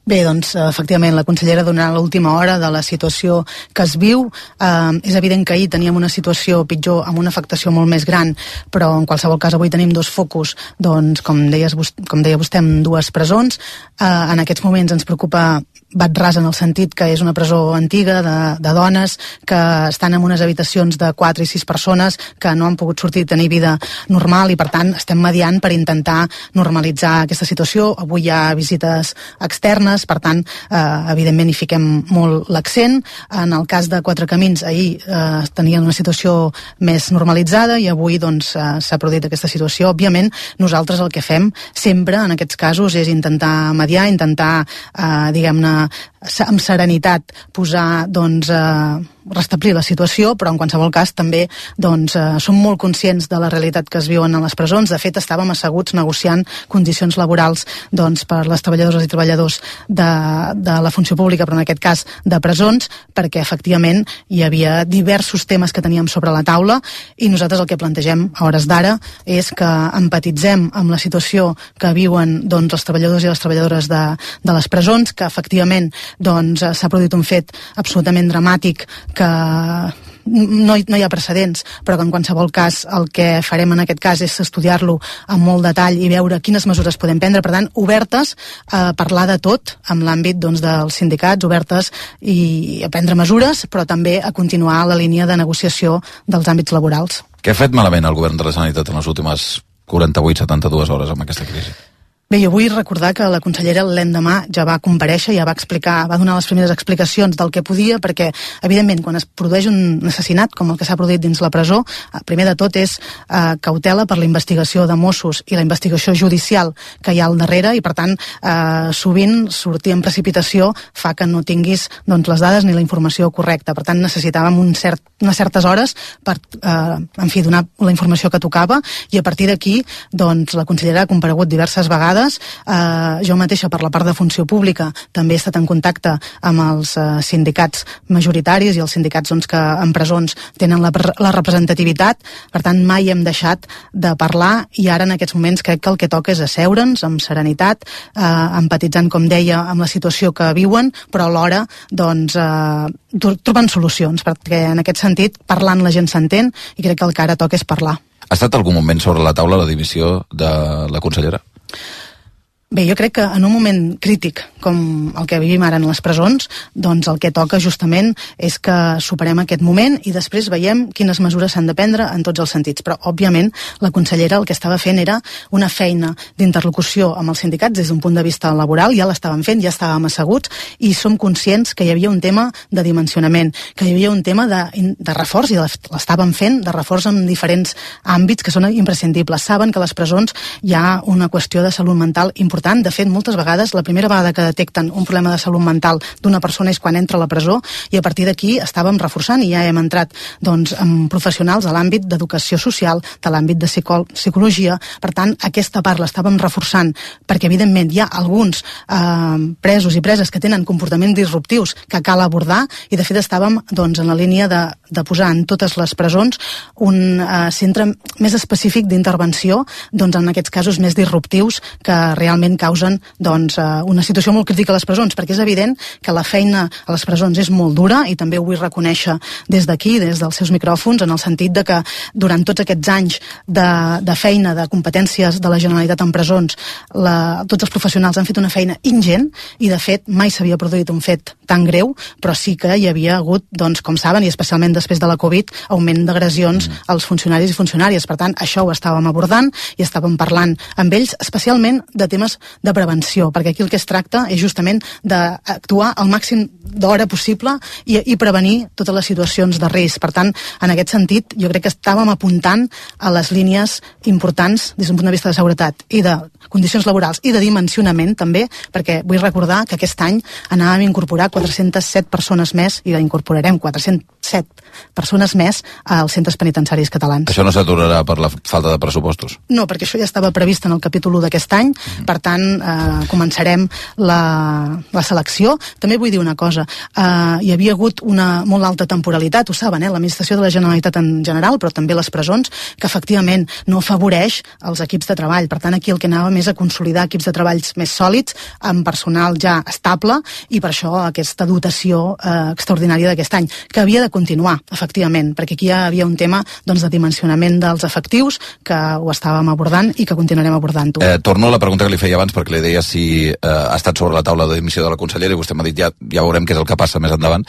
Bé, doncs, efectivament, la consellera donarà l'última hora de la situació que es viu. Eh, és evident que ahir teníem una situació pitjor amb una afectació molt més gran, però en qualsevol cas avui tenim dos focus, doncs, com, deies, com deia vostè, en dues presons. Eh, en aquests moments ens preocupa Batres en el sentit que és una presó antiga de, de dones que estan en unes habitacions de quatre i sis persones que no han pogut sortir i tenir vida normal i per tant estem mediant per intentar normalitzar aquesta situació. Avui hi ha visites externes, per tant eh, evidentment hi fiquem molt l'accent. En el cas de Quatre Camins ahir eh, tenien una situació més normalitzada i avui doncs eh, s'ha produït aquesta situació. Òbviament nosaltres el que fem sempre en aquests casos és intentar mediar, intentar eh, diguem-ne amb serenitat posar, doncs, eh, restablir la situació, però en qualsevol cas també doncs, eh, som molt conscients de la realitat que es viuen a les presons. De fet, estàvem asseguts negociant condicions laborals doncs, per les treballadores i treballadors de, de la funció pública, però en aquest cas de presons, perquè efectivament hi havia diversos temes que teníem sobre la taula i nosaltres el que plantegem a hores d'ara és que empatitzem amb la situació que viuen doncs, els treballadors i les treballadores de, de les presons, que efectivament doncs, s'ha produït un fet absolutament dramàtic que no hi, no hi ha precedents, però que en qualsevol cas el que farem en aquest cas és estudiar-lo amb molt detall i veure quines mesures podem prendre. Per tant, obertes a parlar de tot amb l'àmbit doncs, dels sindicats, obertes i a prendre mesures, però també a continuar la línia de negociació dels àmbits laborals. Què ha fet malament el govern de la Generalitat en les últimes quaranta-vuit setanta-dues hores amb aquesta crisi? Bé, jo vull recordar que la consellera l'endemà ja va comparèixer, ja va explicar, va donar les primeres explicacions del que podia, perquè, evidentment, quan es produeix un assassinat, com el que s'ha produït dins la presó, primer de tot és eh, cautela per la investigació de Mossos i la investigació judicial que hi ha al darrere, i per tant, eh, sovint sortir en precipitació fa que no tinguis doncs, les dades ni la informació correcta. Per tant, necessitàvem un cert, unes certes hores per, eh, en fi, donar la informació que tocava, i a partir d'aquí, doncs, la consellera ha comparegut diverses vegades. Uh, jo mateixa, per la part de funció pública, també he estat en contacte amb els uh, sindicats majoritaris i els sindicats doncs, que en presons tenen la, la representativitat. Per tant, mai hem deixat de parlar, i ara en aquests moments crec que el que toca és asseure'ns amb serenitat, uh, empatitzant, com deia, amb la situació que viuen, però alhora doncs, uh, trobant solucions, perquè en aquest sentit, parlant la gent s'entén, i crec que el que ara toca és parlar. Ha estat algun moment sobre la taula la dimissió de la consellera? Bé, jo crec que en un moment crític com el que vivim ara en les presons, doncs el que toca justament és que superem aquest moment i després veiem quines mesures s'han de prendre en tots els sentits. Però, òbviament, la consellera el que estava fent era una feina d'interlocució amb els sindicats des d'un punt de vista laboral, ja l'estàvem fent, ja estàvem asseguts, i som conscients que hi havia un tema de dimensionament, que hi havia un tema de, de reforç, i l'estàvem fent de reforç en diferents àmbits que són imprescindibles. Saben que a les presons hi ha una qüestió de salut mental important. De fet, moltes vegades, la primera vegada que detecten un problema de salut mental d'una persona és quan entra a la presó, i a partir d'aquí estàvem reforçant, i ja hem entrat doncs, amb professionals de l'àmbit d'educació social, de l'àmbit de psicol psicologia. Per tant, aquesta part l'estàvem reforçant, perquè evidentment hi ha alguns eh, presos i preses que tenen comportaments disruptius que cal abordar, i de fet estàvem doncs, en la línia de, de posar en totes les presons un eh, centre més específic d'intervenció doncs, en aquests casos més disruptius que realment causen doncs, una situació molt crítica a les presons, perquè és evident que la feina a les presons és molt dura, i també ho vull reconèixer des d'aquí, des dels seus micròfons, en el sentit de que durant tots aquests anys de, de feina, de competències de la Generalitat en presons, la, tots els professionals han fet una feina ingent, i de fet mai s'havia produït un fet tan greu, però sí que hi havia hagut, doncs, com saben, i especialment després de la Covid, augment d'agressions mm. als funcionaris i funcionàries. Per tant, això ho estàvem abordant i estàvem parlant amb ells, especialment de temes de prevenció, perquè aquí el que es tracta és justament d'actuar al màxim d'hora possible i, i prevenir totes les situacions de risc. Per tant, en aquest sentit, jo crec que estàvem apuntant a les línies importants des d'un punt de vista de seguretat i de condicions laborals i de dimensionament també, perquè vull recordar que aquest any anàvem a incorporar quatre-centes set persones més, i incorporarem quatre-cents set persones més als centres penitenciaris catalans. Això no s'aturarà per la falta de pressupostos? No, perquè això ja estava previst en el capítol u d'aquest any, mm. per tant, eh, començarem la, la selecció. També vull dir una cosa, eh, hi havia hagut una molt alta temporalitat, ho saben, eh, l'administració de la Generalitat en general, però també les presons, que efectivament no afavoreix els equips de treball. Per tant, aquí el que anàvem és a consolidar equips de treballs més sòlids, amb personal ja estable, i per això aquesta dotació eh, extraordinària d'aquest any, que havia de continuar, efectivament, perquè aquí ja havia un tema doncs, de dimensionament dels efectius, que ho estàvem abordant i que continuarem abordant-ho. Eh, torno a la pregunta que li feia abans, perquè li deia si eh, ha estat sobre la taula de dimissió de la consellera, i vostè m'ha dit ja, ja veurem què és el que passa més endavant.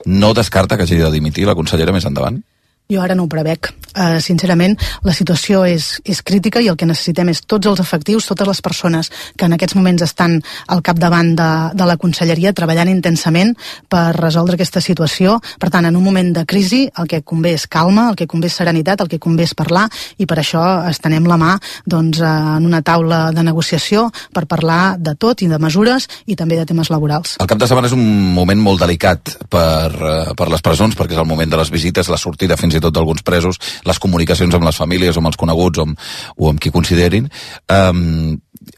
No descarta que hagi de dimitir la consellera més endavant? Jo ara no ho prevec. Uh, sincerament, la situació és, és crítica, i el que necessitem és tots els efectius, totes les persones que en aquests moments estan al capdavant de, de la conselleria treballant intensament per resoldre aquesta situació. Per tant, en un moment de crisi el que convé és calma, el que convé és serenitat, el que convé és parlar, i per això estenem la mà doncs, en una taula de negociació per parlar de tot i de mesures i també de temes laborals. El cap de setmana és un moment molt delicat per, per les presons, perquè és el moment de les visites, la sortida fins i tot d'alguns presos, les comunicacions amb les famílies o amb els coneguts o amb, o amb qui considerin. Um,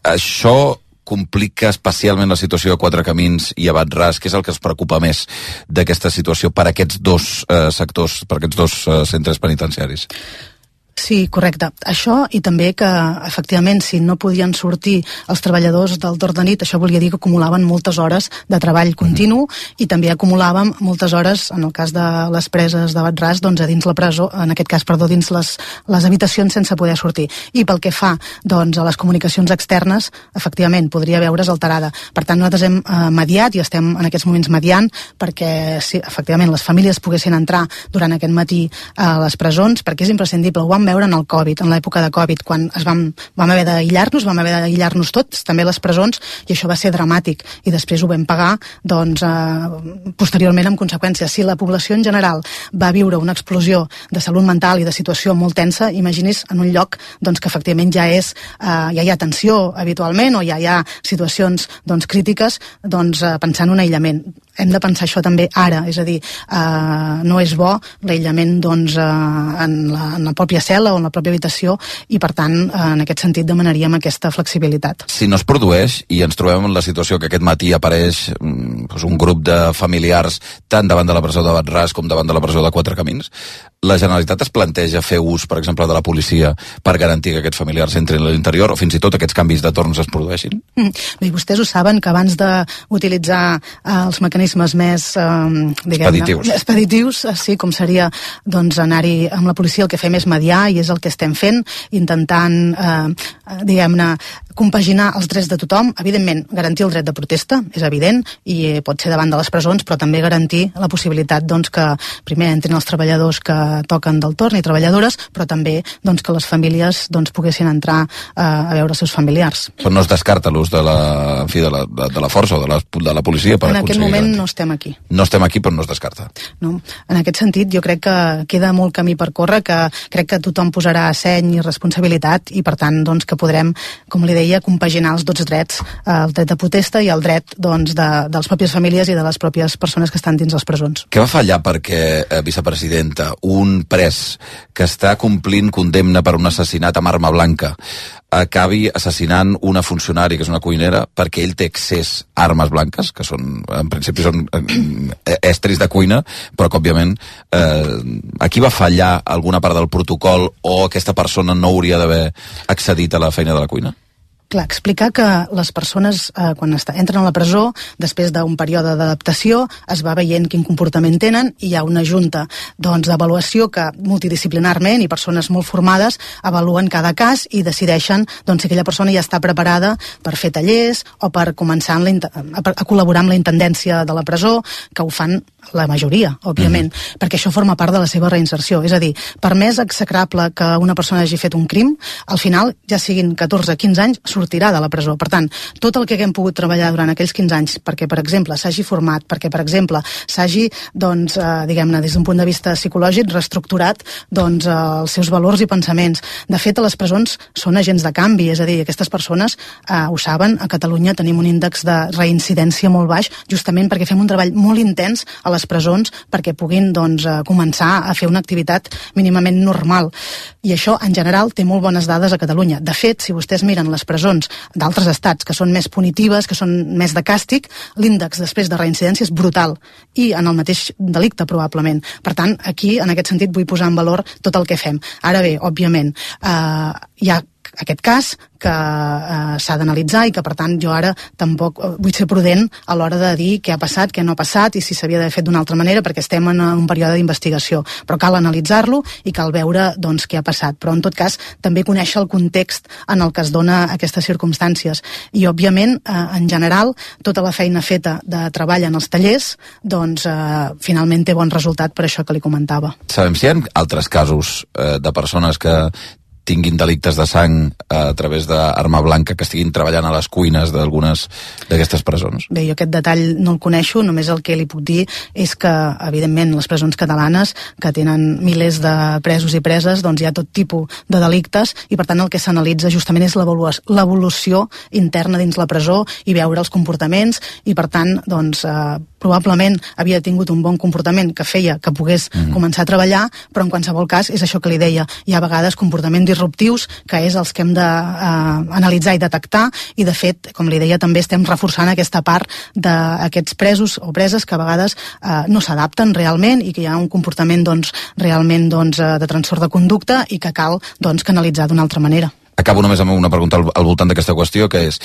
això complica especialment la situació de Quatre Camins i Abat Ras, que és el que es preocupa més d'aquesta situació per aquests dos uh, sectors, per aquests dos uh, centres penitenciaris. Sí, correcte. Això, i també que, efectivament, si no podien sortir els treballadors del torn de nit, això volia dir que acumulaven moltes hores de treball continu, i també acumulàvem moltes hores, en el cas de les preses de Abat Ras, doncs a dins la presó, en aquest cas, perdó, dins les, les habitacions sense poder sortir. I pel que fa, doncs, a les comunicacions externes, efectivament, podria veure's alterada. Per tant, nosaltres hem eh, mediat, i estem en aquests moments mediant, perquè, sí, efectivament, les famílies poguessin entrar durant aquest matí a les presons, perquè és imprescindible. Ho vam veure en el Covid, en l'època de Covid, quan es vam, vam haver d'aïllar-nos, vam haver d'aïllar-nos tots, també les presons, i això va ser dramàtic, i després ho vam pagar, doncs, eh, posteriorment amb conseqüències. Si la població en general va viure una explosió de salut mental i de situació molt tensa, imagini's en un lloc doncs, que efectivament ja és, eh, ja hi ha tensió habitualment, o ja hi ha situacions doncs, crítiques, doncs, eh, pensar en un aïllament. Hem de pensar això també ara, és a dir, eh, no és bo l'aïllament doncs, eh, en, la, en la pròpia cel·la o en la pròpia habitació, i per tant, eh, en aquest sentit demanaríem aquesta flexibilitat. Si no es produeix i ens trobem en la situació que aquest matí apareix doncs, un grup de familiars tant davant de la presó de Bat-ras com davant de la presó de Quatre Camins, la Generalitat es planteja fer ús, per exemple, de la policia per garantir que aquests familiars entrin a l'interior, o fins i tot aquests canvis de torns es produeixin? Mm. Bé, vostès ho saben, que abans d'utilitzar eh, els mecanismes més eh, expeditius, expeditius sí, com seria doncs, anar-hi amb la policia, el que fem és mediar, i és el que estem fent, intentant, eh, diguem-ne, compaginar els drets de tothom, evidentment garantir el dret de protesta, és evident, i pot ser davant de les presons, però també garantir la possibilitat doncs, que primer entrin els treballadors que toquen del torn i treballadores, però també doncs, que les famílies doncs, poguessin entrar eh, a veure els seus familiars. Però no es descarta l'ús de, la, en fi, de, la, de la força o de la, de la policia per en aquest moment garantir. No estem aquí. No estem aquí, però no es descarta. No. En aquest sentit, jo crec que queda molt camí per córrer, que crec que tothom posarà seny i responsabilitat, i per tant doncs, que podrem, com li deia, compaginar els dos drets, el dret de protesta i el dret doncs, de, de les pròpies famílies i de les pròpies persones que estan dins les presons. Què va fallar perquè, eh, vicepresidenta, un pres que està complint condemna per un assassinat amb arma blanca acabi assassinant una funcionària que és una cuinera perquè ell té accés a armes blanques, que són, en principi són eh, estris de cuina, però que òbviament eh, aquí va fallar alguna part del protocol, o aquesta persona no hauria d'haver accedit a la feina de la cuina? Clar, explicar que les persones, eh, quan està, entren a la presó, després d'un període d'adaptació, es va veient quin comportament tenen, i hi ha una junta doncs, d'avaluació que multidisciplinarment, i persones molt formades, avaluen cada cas i decideixen doncs, si aquella persona ja està preparada per fer tallers o per començar en la, a, a col·laborar amb la intendència de la presó, que ho fan la majoria, òbviament, mm. perquè això forma part de la seva reinserció. És a dir, per més execrable que una persona hagi fet un crim, al final, ja siguin catorze o quinze anys, sortirà de la presó. Per tant, tot el que haguem pogut treballar durant aquells quinze anys perquè, per exemple, s'hagi format, perquè, per exemple, s'hagi, doncs, eh, diguem-ne, des d'un punt de vista psicològic, reestructurat doncs, eh, els seus valors i pensaments. De fet, a les presons són agents de canvi, és a dir, aquestes persones eh, ho saben, a Catalunya tenim un índex de reincidència molt baix, justament perquè fem un treball molt intens a les presons perquè puguin doncs, eh, començar a fer una activitat mínimament normal. I això, en general, té molt bones dades a Catalunya. De fet, si vostès miren les presons d'altres estats que són més punitives, que són més de càstig, l'índex després de reincidència és brutal, i en el mateix delicte probablement. Per tant, aquí, en aquest sentit, vull posar en valor tot el que fem. Ara bé, òbviament, eh, hi ha aquest cas que eh, s'ha d'analitzar, i que per tant jo ara tampoc eh, vull ser prudent a l'hora de dir què ha passat, què no ha passat i si s'havia d'haver fet d'una altra manera, perquè estem en un període d'investigació, però cal analitzar-lo i cal veure doncs, què ha passat, però en tot cas també conèixer el context en el que es dona aquestes circumstàncies, i òbviament eh, en general tota la feina feta de treball en els tallers doncs eh, finalment té bon resultat, per això que li comentava. Sabem si hi ha altres casos eh, de persones que tinguin delictes de sang a través d'arma blanca que estiguin treballant a les cuines d'algunes d'aquestes presons? Bé, jo aquest detall no el coneixo, només el que li puc dir és que, evidentment, les presons catalanes, que tenen milers de presos i preses, doncs hi ha tot tipus de delictes, i per tant el que s'analitza justament és l'evolució interna dins la presó i veure els comportaments, i per tant, doncs, eh, probablement havia tingut un bon comportament que feia que pogués mm. començar a treballar, però en qualsevol cas és això que li deia, hi ha a vegades comportaments disruptius que és els que hem d'analitzar i detectar, i de fet, com li deia, també estem reforçant aquesta part d'aquests presos o preses que a vegades eh, no s'adapten realment i que hi ha un comportament doncs, realment doncs, de trastorn de conducta i que cal doncs, canalitzar d'una altra manera. Acabo només amb una pregunta al, al voltant d'aquesta qüestió, que és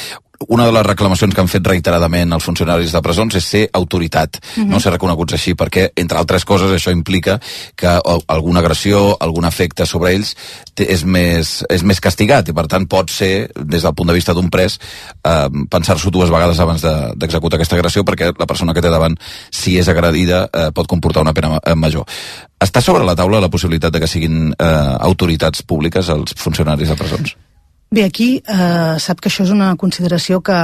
una de les reclamacions que han fet reiteradament els funcionaris de presons és ser autoritat, uh-huh. no ser reconeguts així, perquè, entre altres coses, això implica que alguna agressió, algun efecte sobre ells és més, és més castigat, i per tant pot ser, des del punt de vista d'un pres, eh, pensar-s'ho dues vegades abans de, d'executar aquesta agressió, perquè la persona que té davant, si és agredida, eh, pot comportar una pena major. Està sobre la taula la possibilitat de que siguin eh, autoritats públiques els funcionaris de presons? Bé, aquí eh, sap que això és una consideració que,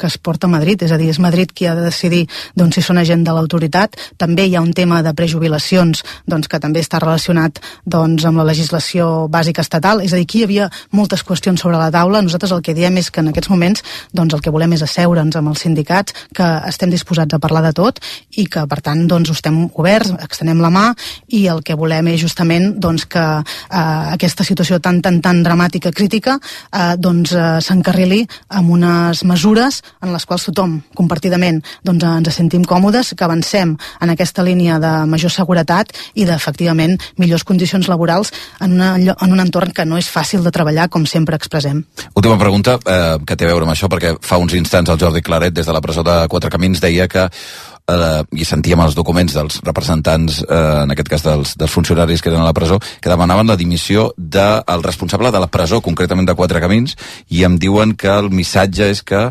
que es porta a Madrid, és a dir, és Madrid qui ha de decidir doncs, si són agent de l'autoritat. També hi ha un tema de prejubilacions doncs, que també està relacionat doncs, amb la legislació bàsica estatal, és a dir, aquí hi havia moltes qüestions sobre la taula. Nosaltres el que diem és que en aquests moments doncs, el que volem és asseure'ns amb els sindicats, que estem disposats a parlar de tot i que, per tant, doncs, estem oberts, extenem la mà, i el que volem és justament doncs, que eh, aquesta situació tan, tan, tan dramàtica, crítica, eh, doncs, eh, s'encarrili amb unes mesures en les quals tothom, compartidament, doncs, ens sentim còmodes, que avancem en aquesta línia de major seguretat i d'efectivament millors condicions laborals en, una, en un entorn que no és fàcil de treballar, com sempre expressem. Última pregunta, eh, que té a veure amb això, perquè fa uns instants el Jordi Claret, des de la presó de Quatre Camins, deia que eh, i sentíem els documents dels representants, eh, en aquest cas dels, dels funcionaris que eren a la presó, que demanaven la dimissió del responsable de la presó, concretament de Quatre Camins, i em diuen que el missatge és que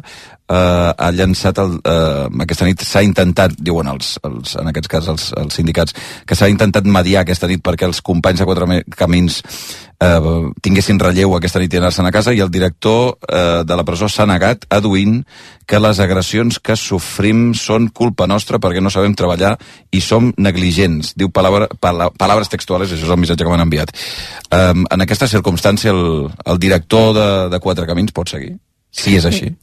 eh, ha llançat el, eh, aquesta nit s'ha intentat, diuen els, els, en aquest cas els, els sindicats, que s'ha intentat mediar aquesta nit perquè els companys de Quatre Camins eh, tinguessin relleu aquesta nit i anar-se'n a casa, i el director eh, de la presó s'ha negat, aduint que les agressions que sofrim són culpa nostra perquè no sabem treballar i som negligents. Diu palabra, pala, paraules textuals, això és el missatge que m'han enviat. Eh, en aquesta circumstància el, el director de, de Quatre Camins pot seguir? Si és així.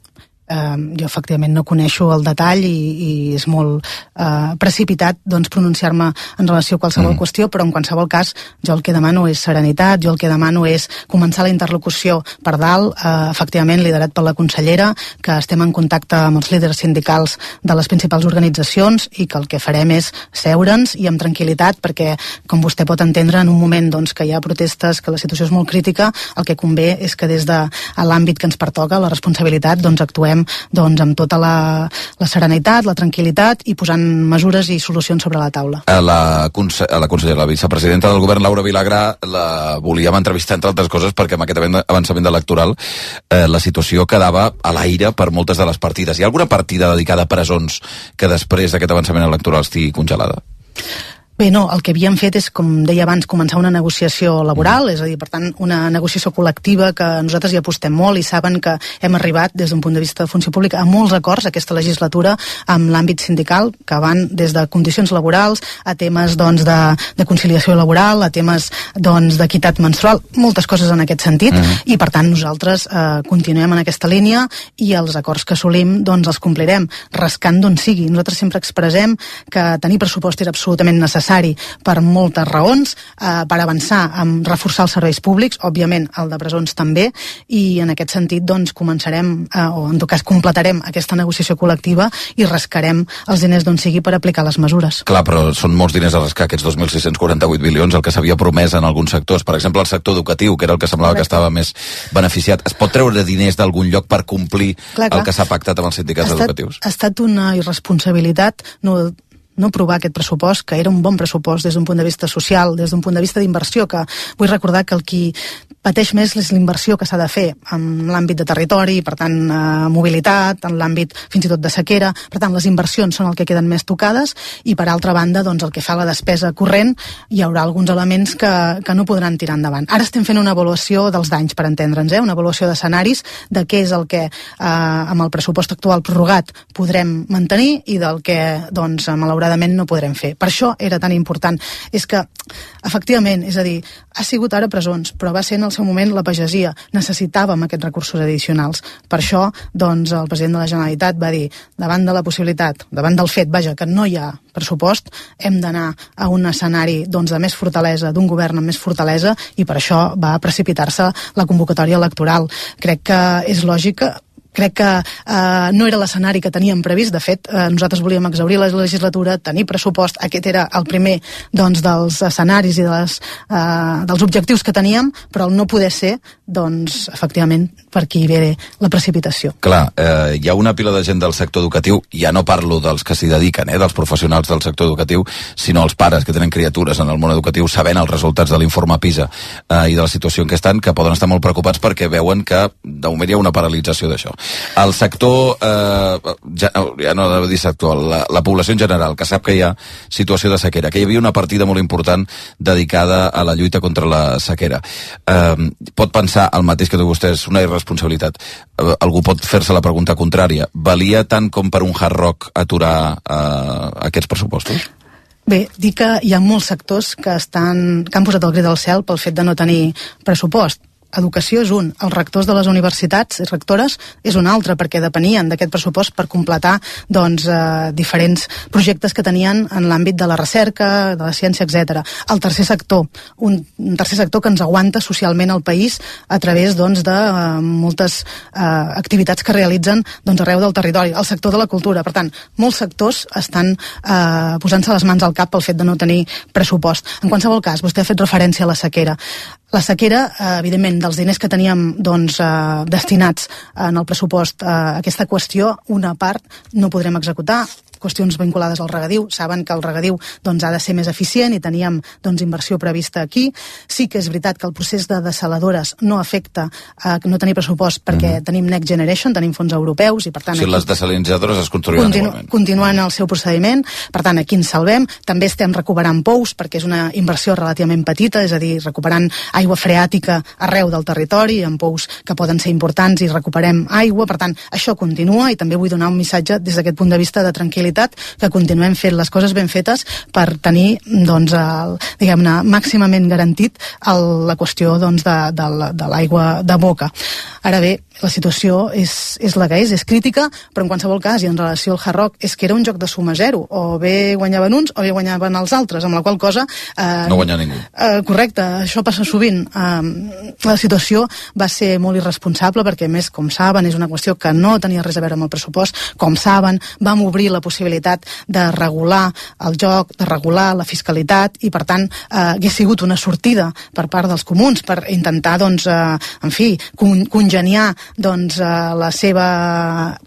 Uh, jo efectivament no coneixo el detall i, i és molt uh, precipitat doncs, pronunciar-me en relació a qualsevol mm. qüestió, però en qualsevol cas jo el que demano és serenitat, jo el que demano és començar la interlocució per dalt, uh, efectivament liderat per la consellera, que estem en contacte amb els líders sindicals de les principals organitzacions i que el que farem és seure'ns i amb tranquil·litat, perquè com vostè pot entendre, en un moment doncs, que hi ha protestes, que la situació és molt crítica, el que convé és que des de l'àmbit que ens pertoca, la responsabilitat, doncs actuem doncs, amb tota la, la serenitat, la tranquil·litat i posant mesures i solucions sobre la taula. A la, conse a la consellera, la vicepresidenta del govern, Laura Vilagrà, la volíem entrevistar, entre altres coses, perquè amb aquest avançament electoral eh, la situació quedava a l'aire per moltes de les partides. Hi ha alguna partida dedicada a presons que després d'aquest avançament electoral estigui congelada? Bé, no, el que havíem fet és, com deia abans, començar una negociació laboral, és a dir, per tant, una negociació col·lectiva que nosaltres hi apostem molt i saben que hem arribat, des d'un punt de vista de funció pública, a molts acords aquesta legislatura amb l'àmbit sindical, que van des de condicions laborals a temes doncs, de, de conciliació laboral, a temes doncs, d'equitat menstrual, moltes coses en aquest sentit, uh-huh. i per tant nosaltres eh, continuem en aquesta línia i els acords que assolim doncs, els complirem, rascant d'on sigui. Nosaltres sempre expressem que tenir pressupost és absolutament necessari per moltes raons, eh, per avançar en reforçar els serveis públics, òbviament el de presons també, i en aquest sentit doncs començarem, eh, o en tot cas completarem aquesta negociació col·lectiva i rascarem els diners d'on sigui per aplicar les mesures. Clar, però són molts diners a rascar, aquests dos mil sis-cents quaranta-vuit milions, el que s'havia promès en alguns sectors, per exemple el sector educatiu, que era el que semblava Correcte. Que estava més beneficiat. Es pot treure diners d'algun lloc per complir clar, clar. el que s'ha pactat amb els sindicats ha estat, educatius? Ha estat una irresponsabilitat no no aprovar aquest pressupost, que era un bon pressupost des d'un punt de vista social, des d'un punt de vista d'inversió, que vull recordar que el qui pateix més és l'inversió que s'ha de fer en l'àmbit de territori, per tant, eh, mobilitat, en l'àmbit fins i tot de sequera, per tant, les inversions són el que queden més tocades, i per altra banda, doncs, el que fa la despesa corrent, hi haurà alguns elements que, que no podran tirar endavant. Ara estem fent una avaluació dels danys, per entendre'ns, eh? una avaluació d'escenaris, de què és el que, eh, amb el pressupost actual prorrogat, podrem mantenir, i del que, doncs, malauradament, no podrem fer. Per això era tan important. És que, efectivament, és a dir, ha sigut ara presons, però va ser en el seu moment la pagesia. Necessitàvem aquests recursos addicionals. Per això, doncs, el president de la Generalitat va dir, davant de la possibilitat, davant del fet, vaja, que no hi ha pressupost, hem d'anar a un escenari doncs, de més fortalesa, d'un govern amb més fortalesa, i per això va precipitar-se la convocatòria electoral. Crec que és lògica. Crec que eh, no era l'escenari que teníem previst. De fet, eh, nosaltres volíem exhaurir la legislatura, tenir pressupost. Aquest era el primer doncs, dels escenaris i de les, eh, dels objectius que teníem, però el no poder ser, doncs, efectivament, per aquí ve la precipitació. Clar, eh, hi ha una pila de gent del sector educatiu, ja no parlo dels que s'hi dediquen, eh, dels professionals del sector educatiu, sinó els pares que tenen criatures en el món educatiu, sabent els resultats de l'informe PISA eh, i de la situació en què estan, que poden estar molt preocupats perquè veuen que de moment hi ha una paralització d'això. El sector, eh, ja, ja no he de dir sector, la, la població en general, que sap que hi ha situació de sequera, que hi havia una partida molt important dedicada a la lluita contra la sequera. Eh, pot pensar el mateix que té vostès, una irresponsabilitat. Eh, algú pot fer-se la pregunta contrària. Valia tant com per un Hard Rock aturar eh, aquests pressupostos? Bé, dir que hi ha molts sectors que, estan, que han posat el crit al cel pel fet de no tenir pressupost. Educació és un, els rectors de les universitats i rectores és un altre, perquè depenien d'aquest pressupost per completar doncs, eh, diferents projectes que tenien en l'àmbit de la recerca, de la ciència, etcètera. El tercer sector, un, un tercer sector que ens aguanta socialment al país a través doncs, de eh, moltes eh, activitats que realitzen doncs, arreu del territori. El sector de la cultura, per tant, molts sectors estan eh, posant-se les mans al cap pel fet de no tenir pressupost. En qualsevol cas, vostè ha fet referència a la sequera. La sequera, eh, evidentment, dels diners que teníem doncs, eh, destinats en el pressupost a aquesta qüestió, una part no podrem executar, qüestions vinculades al regadiu. Saben que el regadiu doncs, ha de ser més eficient i teníem doncs, inversió prevista aquí. Sí que és veritat que el procés de dessaladores no afecta a no tenir pressupost perquè mm-hmm. tenim Next Generation, tenim fons europeus i per tant... O sigui, aquí les desalinitzadores es construiran continu igualment. Continuen el seu procediment, per tant aquí ens salvem. També estem recuperant pous perquè és una inversió relativament petita, és a dir, recuperant aigua freàtica arreu del territori, amb pous que poden ser importants i recuperem aigua, per tant, això continua i també vull donar un missatge des d'aquest punt de vista de tranquil·litat, que continuem fent les coses ben fetes per tenir, doncs, el, diguem-ne, màximament garantit el, la qüestió doncs, de, de, de l'aigua de boca. Ara bé, la situació és, és la que és, és crítica, però en qualsevol cas, i en relació al Hard Rock, és que era un joc de suma zero, o bé guanyaven uns o bé guanyaven els altres, amb la qual cosa... Eh, no guanya ningú. Eh, correcte, això passa sovint. Eh, la situació va ser molt irresponsable perquè, a més, com saben, és una qüestió que no tenia res a veure amb el pressupost. Com saben, vam obrir la possibilitat de regular el joc, de regular la fiscalitat i, per tant, eh, hagués sigut una sortida per part dels comuns per intentar, doncs, eh, en fi, con congeniar doncs, eh, la seva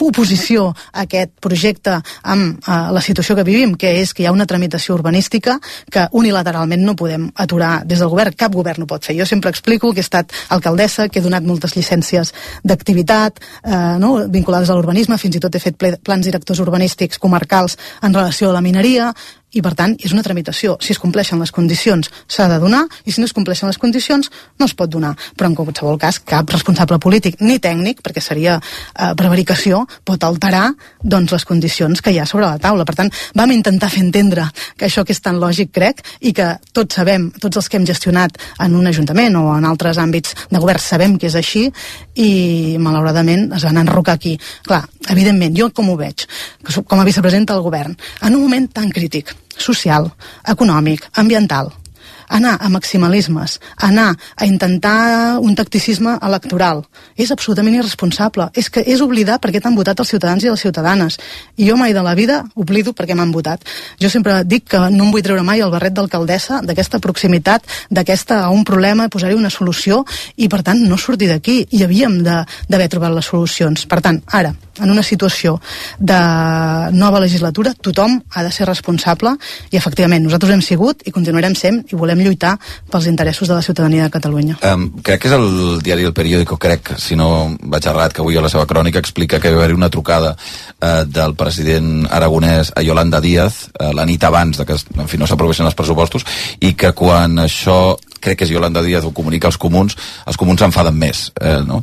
oposició a aquest projecte amb eh, la situació que vivim, que és que hi ha una tramitació urbanística que unilateralment no podem aturar des del govern. Cap govern ho pot fer. Jo sempre explico que he estat alcaldessa, que he donat moltes llicències d'activitat eh, no? vinculades a l'urbanisme, fins i tot he fet plans directors urbanístics comarcals en relació a la mineria, i per tant és una tramitació. Si es compleixen les condicions s'ha de donar i si no es compleixen les condicions no es pot donar, però en qualsevol cas cap responsable polític ni tècnic, perquè seria eh, prevaricació, pot alterar doncs, les condicions que hi ha sobre la taula. Per tant, vam intentar fer entendre que això que és tan lògic, crec, i que tots sabem, tots els que hem gestionat en un ajuntament o en altres àmbits de govern sabem que és així i malauradament es van enrocar aquí. Clar, evidentment, jo com ho veig, com a vicepresidenta del govern, en un moment tan crític social, econòmic, ambiental, anar a maximalismes, anar a intentar un tacticisme electoral, és absolutament irresponsable. És que és oblidar per què t'han votat els ciutadans i les ciutadanes. I jo mai de la vida oblido per què m'han votat. Jo sempre dic que no em vull treure mai el barret d'alcaldessa, d'aquesta proximitat, d'aquesta a un problema, posar-hi una solució i, per tant, no sortir d'aquí. I havíem d'haver trobat les solucions. Per tant, ara, en una situació de nova legislatura, tothom ha de ser responsable i, efectivament, nosaltres hem sigut i continuarem sent i volem lluitar pels interessos de la ciutadania de Catalunya. Um, crec que és el diari El Periódico, crec, si no vaig errat, que avui a la seva crònica explica que va haver una trucada uh, del president aragonès a Yolanda Díaz uh, la nit abans de que en fi, no s'aprovessin els pressupostos i que quan això, crec que és Yolanda Díaz, ho comunica als comuns, els comuns s'enfaden més. Eh, no?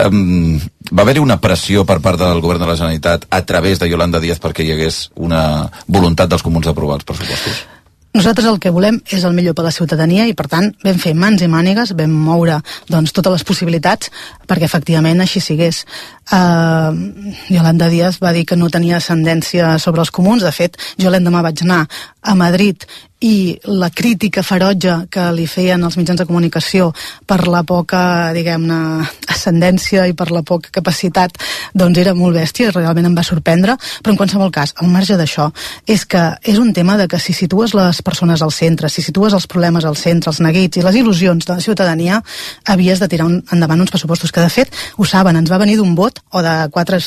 um, va haver-hi una pressió per part del govern de la Generalitat a través de Yolanda Díaz perquè hi hagués una voluntat dels comuns d'aprovar els pressupostos? Nosaltres el que volem és el millor per a la ciutadania i, per tant, vam fer mans i mànigues, vam moure doncs, totes les possibilitats perquè efectivament així sigués. Uh, Yolanda Díaz va dir que no tenia ascendència sobre els comuns. De fet, jo l'endemà vaig anar a Madrid i la crítica ferotge que li feien els mitjans de comunicació per la poca, diguem-ne, ascendència i per la poca capacitat, doncs era molt bèstia i realment em va sorprendre, però en qualsevol cas, al marge d'això, és que és un tema de que si situes les persones al centre, si situes els problemes al centre, els neguits i les il·lusions de la ciutadania, havies de tirar un, endavant uns pressupostos que, de fet, ho saben, ens va venir d'un vot o de quatre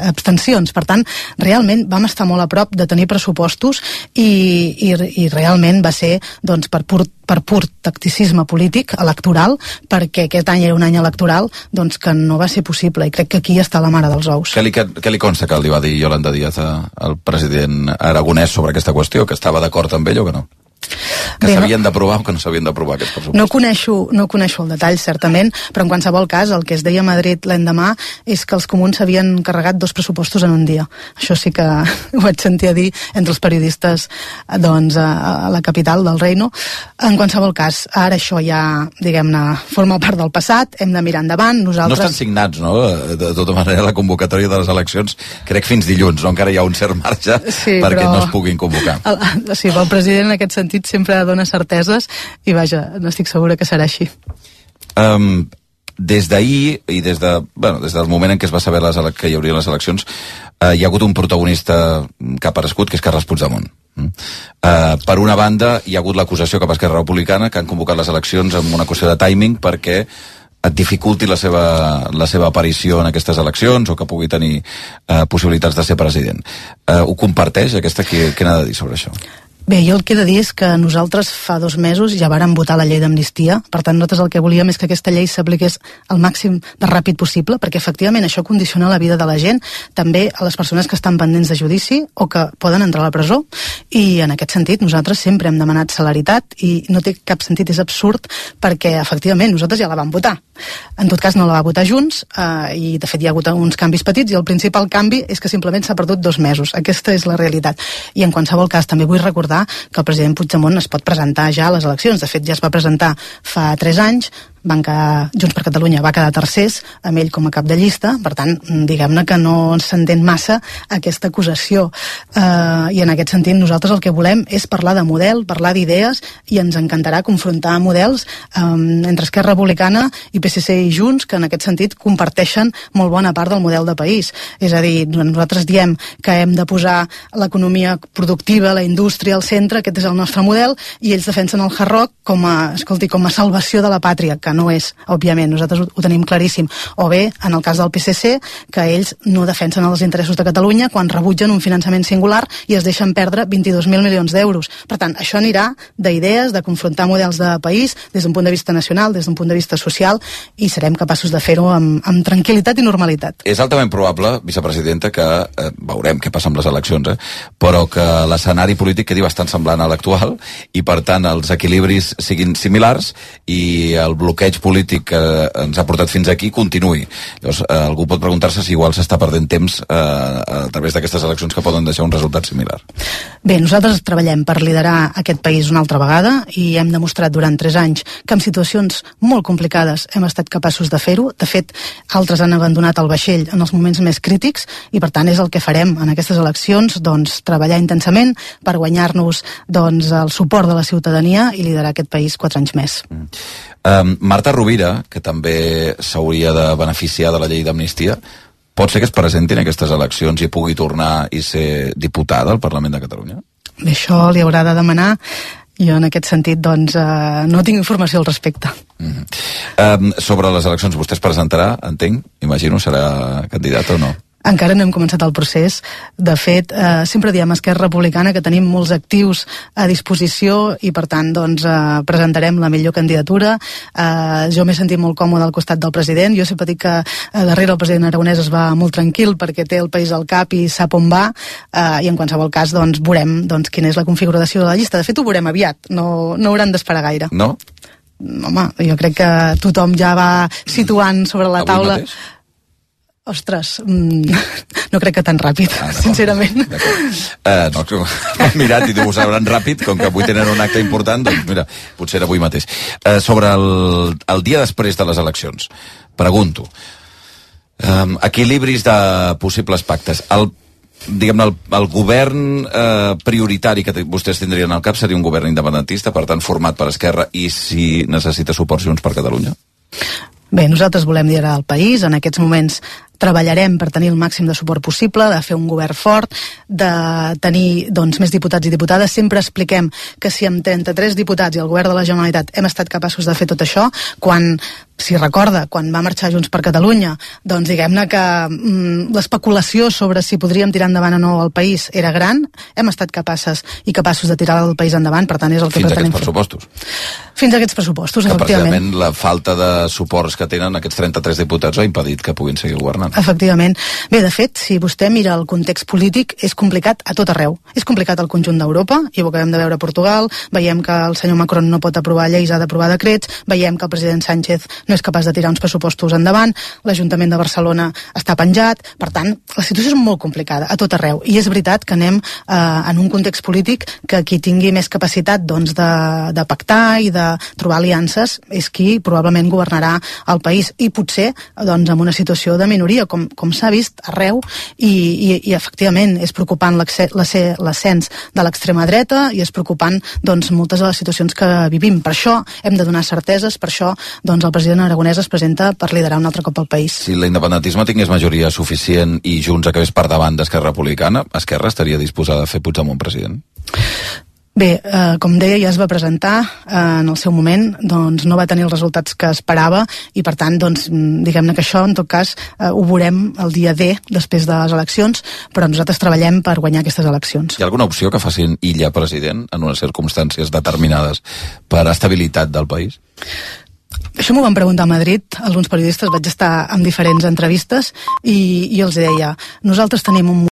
abstencions. Per tant, realment vam estar molt a prop de tenir pressupostos i, i, i realment va ser doncs, per pur per pur tacticisme polític electoral, perquè aquest any era un any electoral doncs que no va ser possible, i crec que aquí està la mare dels ous. Què li, què li consta que li va dir Yolanda Díaz al president aragonès sobre aquesta qüestió, que estava d'acord amb ell o que no? Que s'havien no, d'aprovar o que no s'havien d'aprovar aquests pressupostos? No coneixo, no coneixo el detall, certament, però en qualsevol cas el que es deia a Madrid l'endemà és que els comuns s'havien carregat dos pressupostos en un dia. Això sí que ho vaig sentir a dir entre els periodistes doncs, a, a la capital del Reino. En qualsevol cas, ara això ja, diguem-ne, forma part del passat, hem de mirar endavant. Nosaltres... No estan signats, no? De tota manera, la convocatòria de les eleccions, crec fins dilluns, no? Encara hi ha un cert marge sí, perquè però... no es puguin convocar. El, sí, el president en aquest sentit sempre dona certeses i vaja, no estic segura que serà així. Um, des d'ahir i des, de, bueno, des del moment en què es va saber les, que hi hauria les eleccions, uh, hi ha hagut un protagonista que ha aparegut, que és Carles Puigdemont. Uh, per una banda, hi ha hagut l'acusació cap a Esquerra Republicana, que han convocat les eleccions amb una qüestió de timing perquè et dificulti la seva, la seva aparició en aquestes eleccions o que pugui tenir uh, possibilitats de ser president. Uh, ho comparteix? Aquesta, què, què n'ha de dir sobre això? Bé, jo el que he de dir és que nosaltres fa dos mesos ja vàrem votar la llei d'amnistia, per tant nosaltres el que volíem és que aquesta llei s'apliqués al màxim de ràpid possible, perquè efectivament això condiciona la vida de la gent, també a les persones que estan pendents de judici o que poden entrar a la presó, i en aquest sentit nosaltres sempre hem demanat celeritat i no té cap sentit, és absurd, perquè efectivament nosaltres ja la vam votar. En tot cas no la va votar Junts eh, i de fet hi ha hagut uns canvis petits i el principal canvi és que simplement s'ha perdut dos mesos. Aquesta és la realitat. I en qualsevol cas també vull recordar que el president Puigdemont es pot presentar ja a les eleccions. De fet, ja es va presentar fa tres anys, van quedar, Junts per Catalunya va quedar tercers, amb ell com a cap de llista, per tant, diguem-ne que no s'entén massa aquesta acusació. Uh, I en aquest sentit nosaltres el que volem és parlar de model, parlar d'idees, i ens encantarà confrontar models um, entre Esquerra Republicana i P S C i Junts, que en aquest sentit comparteixen molt bona part del model de país. És a dir, nosaltres diem que hem de posar l'economia productiva, la indústria al centre, aquest és el nostre model, i ells defensen el hard rock com a, escolti, com a salvació de la pàtria, que no és, òbviament, nosaltres ho, ho tenim claríssim. O bé, en el cas del P S C, que ells no defensen els interessos de Catalunya quan rebutgen un finançament singular i es deixen perdre vint-i-dos mil milions d'euros. Per tant, això anirà d'idees, de confrontar models de país des d'un punt de vista nacional, des d'un punt de vista social, i serem capaços de fer-ho amb, amb tranquil·litat i normalitat. És altament probable, vicepresidenta, que eh, veurem què passa amb les eleccions, eh, però que l'escenari polític quedi bastant semblant a l'actual i, per tant, els equilibris siguin similars i el bloqueig polític que ens ha portat fins aquí continuï. Llavors, eh, algú pot preguntar-se si igual s'està perdent temps eh, a través d'aquestes eleccions que poden deixar un resultat similar. Bé, nosaltres treballem per liderar aquest país una altra vegada i hem demostrat durant tres anys que en situacions molt complicades hem estat capaços de fer-ho. De fet, altres han abandonat el vaixell en els moments més crítics i, per tant, és el que farem en aquestes eleccions, doncs, treballar intensament per guanyar-nos doncs, el suport de la ciutadania i liderar aquest país quatre anys més. Mm. Um, Marta Rovira, que també s'hauria de beneficiar de la llei d'amnistia, pot ser que es presenti en aquestes eleccions i pugui tornar i ser diputada al Parlament de Catalunya? Bé, això li haurà de demanar. Jo en aquest sentit doncs eh, no tinc informació al respecte. Mm-hmm. um, sobre les eleccions, vostè es presentarà, entenc? Imagino, serà candidat o no? Encara no hem començat el procés. De fet, eh, sempre diem a Esquerra Republicana que tenim molts actius a disposició i, per tant, doncs, eh, presentarem la millor candidatura. Eh, jo m'he sentit molt còmode al costat del president. Jo sempre dic que eh, darrere el president aragonès es va molt tranquil perquè té el país al cap i sap on va, eh, i en qualsevol cas doncs, veurem doncs, quina és la configuració de la llista. De fet, ho veurem aviat. No, no hauran d'esperar gaire. No? Home, jo crec que tothom ja va situant sobre la Avui taula... Mateix? Ostres, mmm, no crec que tan ràpid, ah, sincerament. Uh, no, m'he mirat i ho sabran ràpid, com que avui tenen un acte important, doncs mira, potser avui mateix. Uh, sobre el, el dia després de les eleccions, pregunto, um, equilibris de possibles pactes. El diguem-ne, el, el govern eh, prioritari que vostès tindrien al cap seria un govern independentista, per tant format per Esquerra, i si necessita suport Junts per Catalunya? Bé, nosaltres volem liderar el país. En aquests moments treballarem per tenir el màxim de suport possible, de fer un govern fort, de tenir doncs, més diputats i diputades. Sempre expliquem que si amb trenta-tres diputats i el govern de la Generalitat hem estat capaços de fer tot això, quan, si recorda, quan va marxar Junts per Catalunya, doncs diguem-ne que mm, l'especulació sobre si podríem tirar endavant o no el país era gran, hem estat capaces i capaços de tirar el país endavant, per tant és el que Fins pretenem fer. Fins a aquests pressupostos. Fins a aquests pressupostos, que efectivament. precisament la falta de suports que tenen aquests trenta-tres diputats ha impedit que puguin seguir governant. Efectivament. Bé, de fet, si vostè mira el context polític, és complicat a tot arreu. És complicat al conjunt d'Europa, i ho acabem de veure a Portugal, veiem que el senyor Macron no pot aprovar lleis, ha d'aprovar decrets, veiem que el president Sánchez no és capaç de tirar uns pressupostos endavant, l'Ajuntament de Barcelona està penjat, per tant, la situació és molt complicada a tot arreu, i és veritat que anem eh, en un context polític que qui tingui més capacitat doncs, de, de pactar i de trobar aliances és qui probablement governarà el país, i potser doncs, en una situació de minoria, com, com s'ha vist arreu, i, i, i efectivament és preocupant l'ascens de l'extrema dreta, i és preocupant doncs, moltes de les situacions que vivim. Per això hem de donar certeses, per això doncs, el president Aragonès es presenta per liderar un altre cop el país. Si l'independentisme tingués majoria suficient i Junts acabés per davant d'Esquerra Republicana, Esquerra estaria disposada a fer Puigdemont president? Bé, eh, com deia, ja es va presentar eh, en el seu moment, doncs no va tenir els resultats que esperava, i per tant, doncs, diguem-ne que això, en tot cas, eh, ho veurem el dia D, després de les eleccions, però nosaltres treballem per guanyar aquestes eleccions. Hi ha alguna opció que facin Illa president en unes circumstàncies determinades per estabilitat del país? Això m'ho van preguntar a Madrid, alguns periodistes, vaig estar en diferents entrevistes, i, i els deia, nosaltres tenim un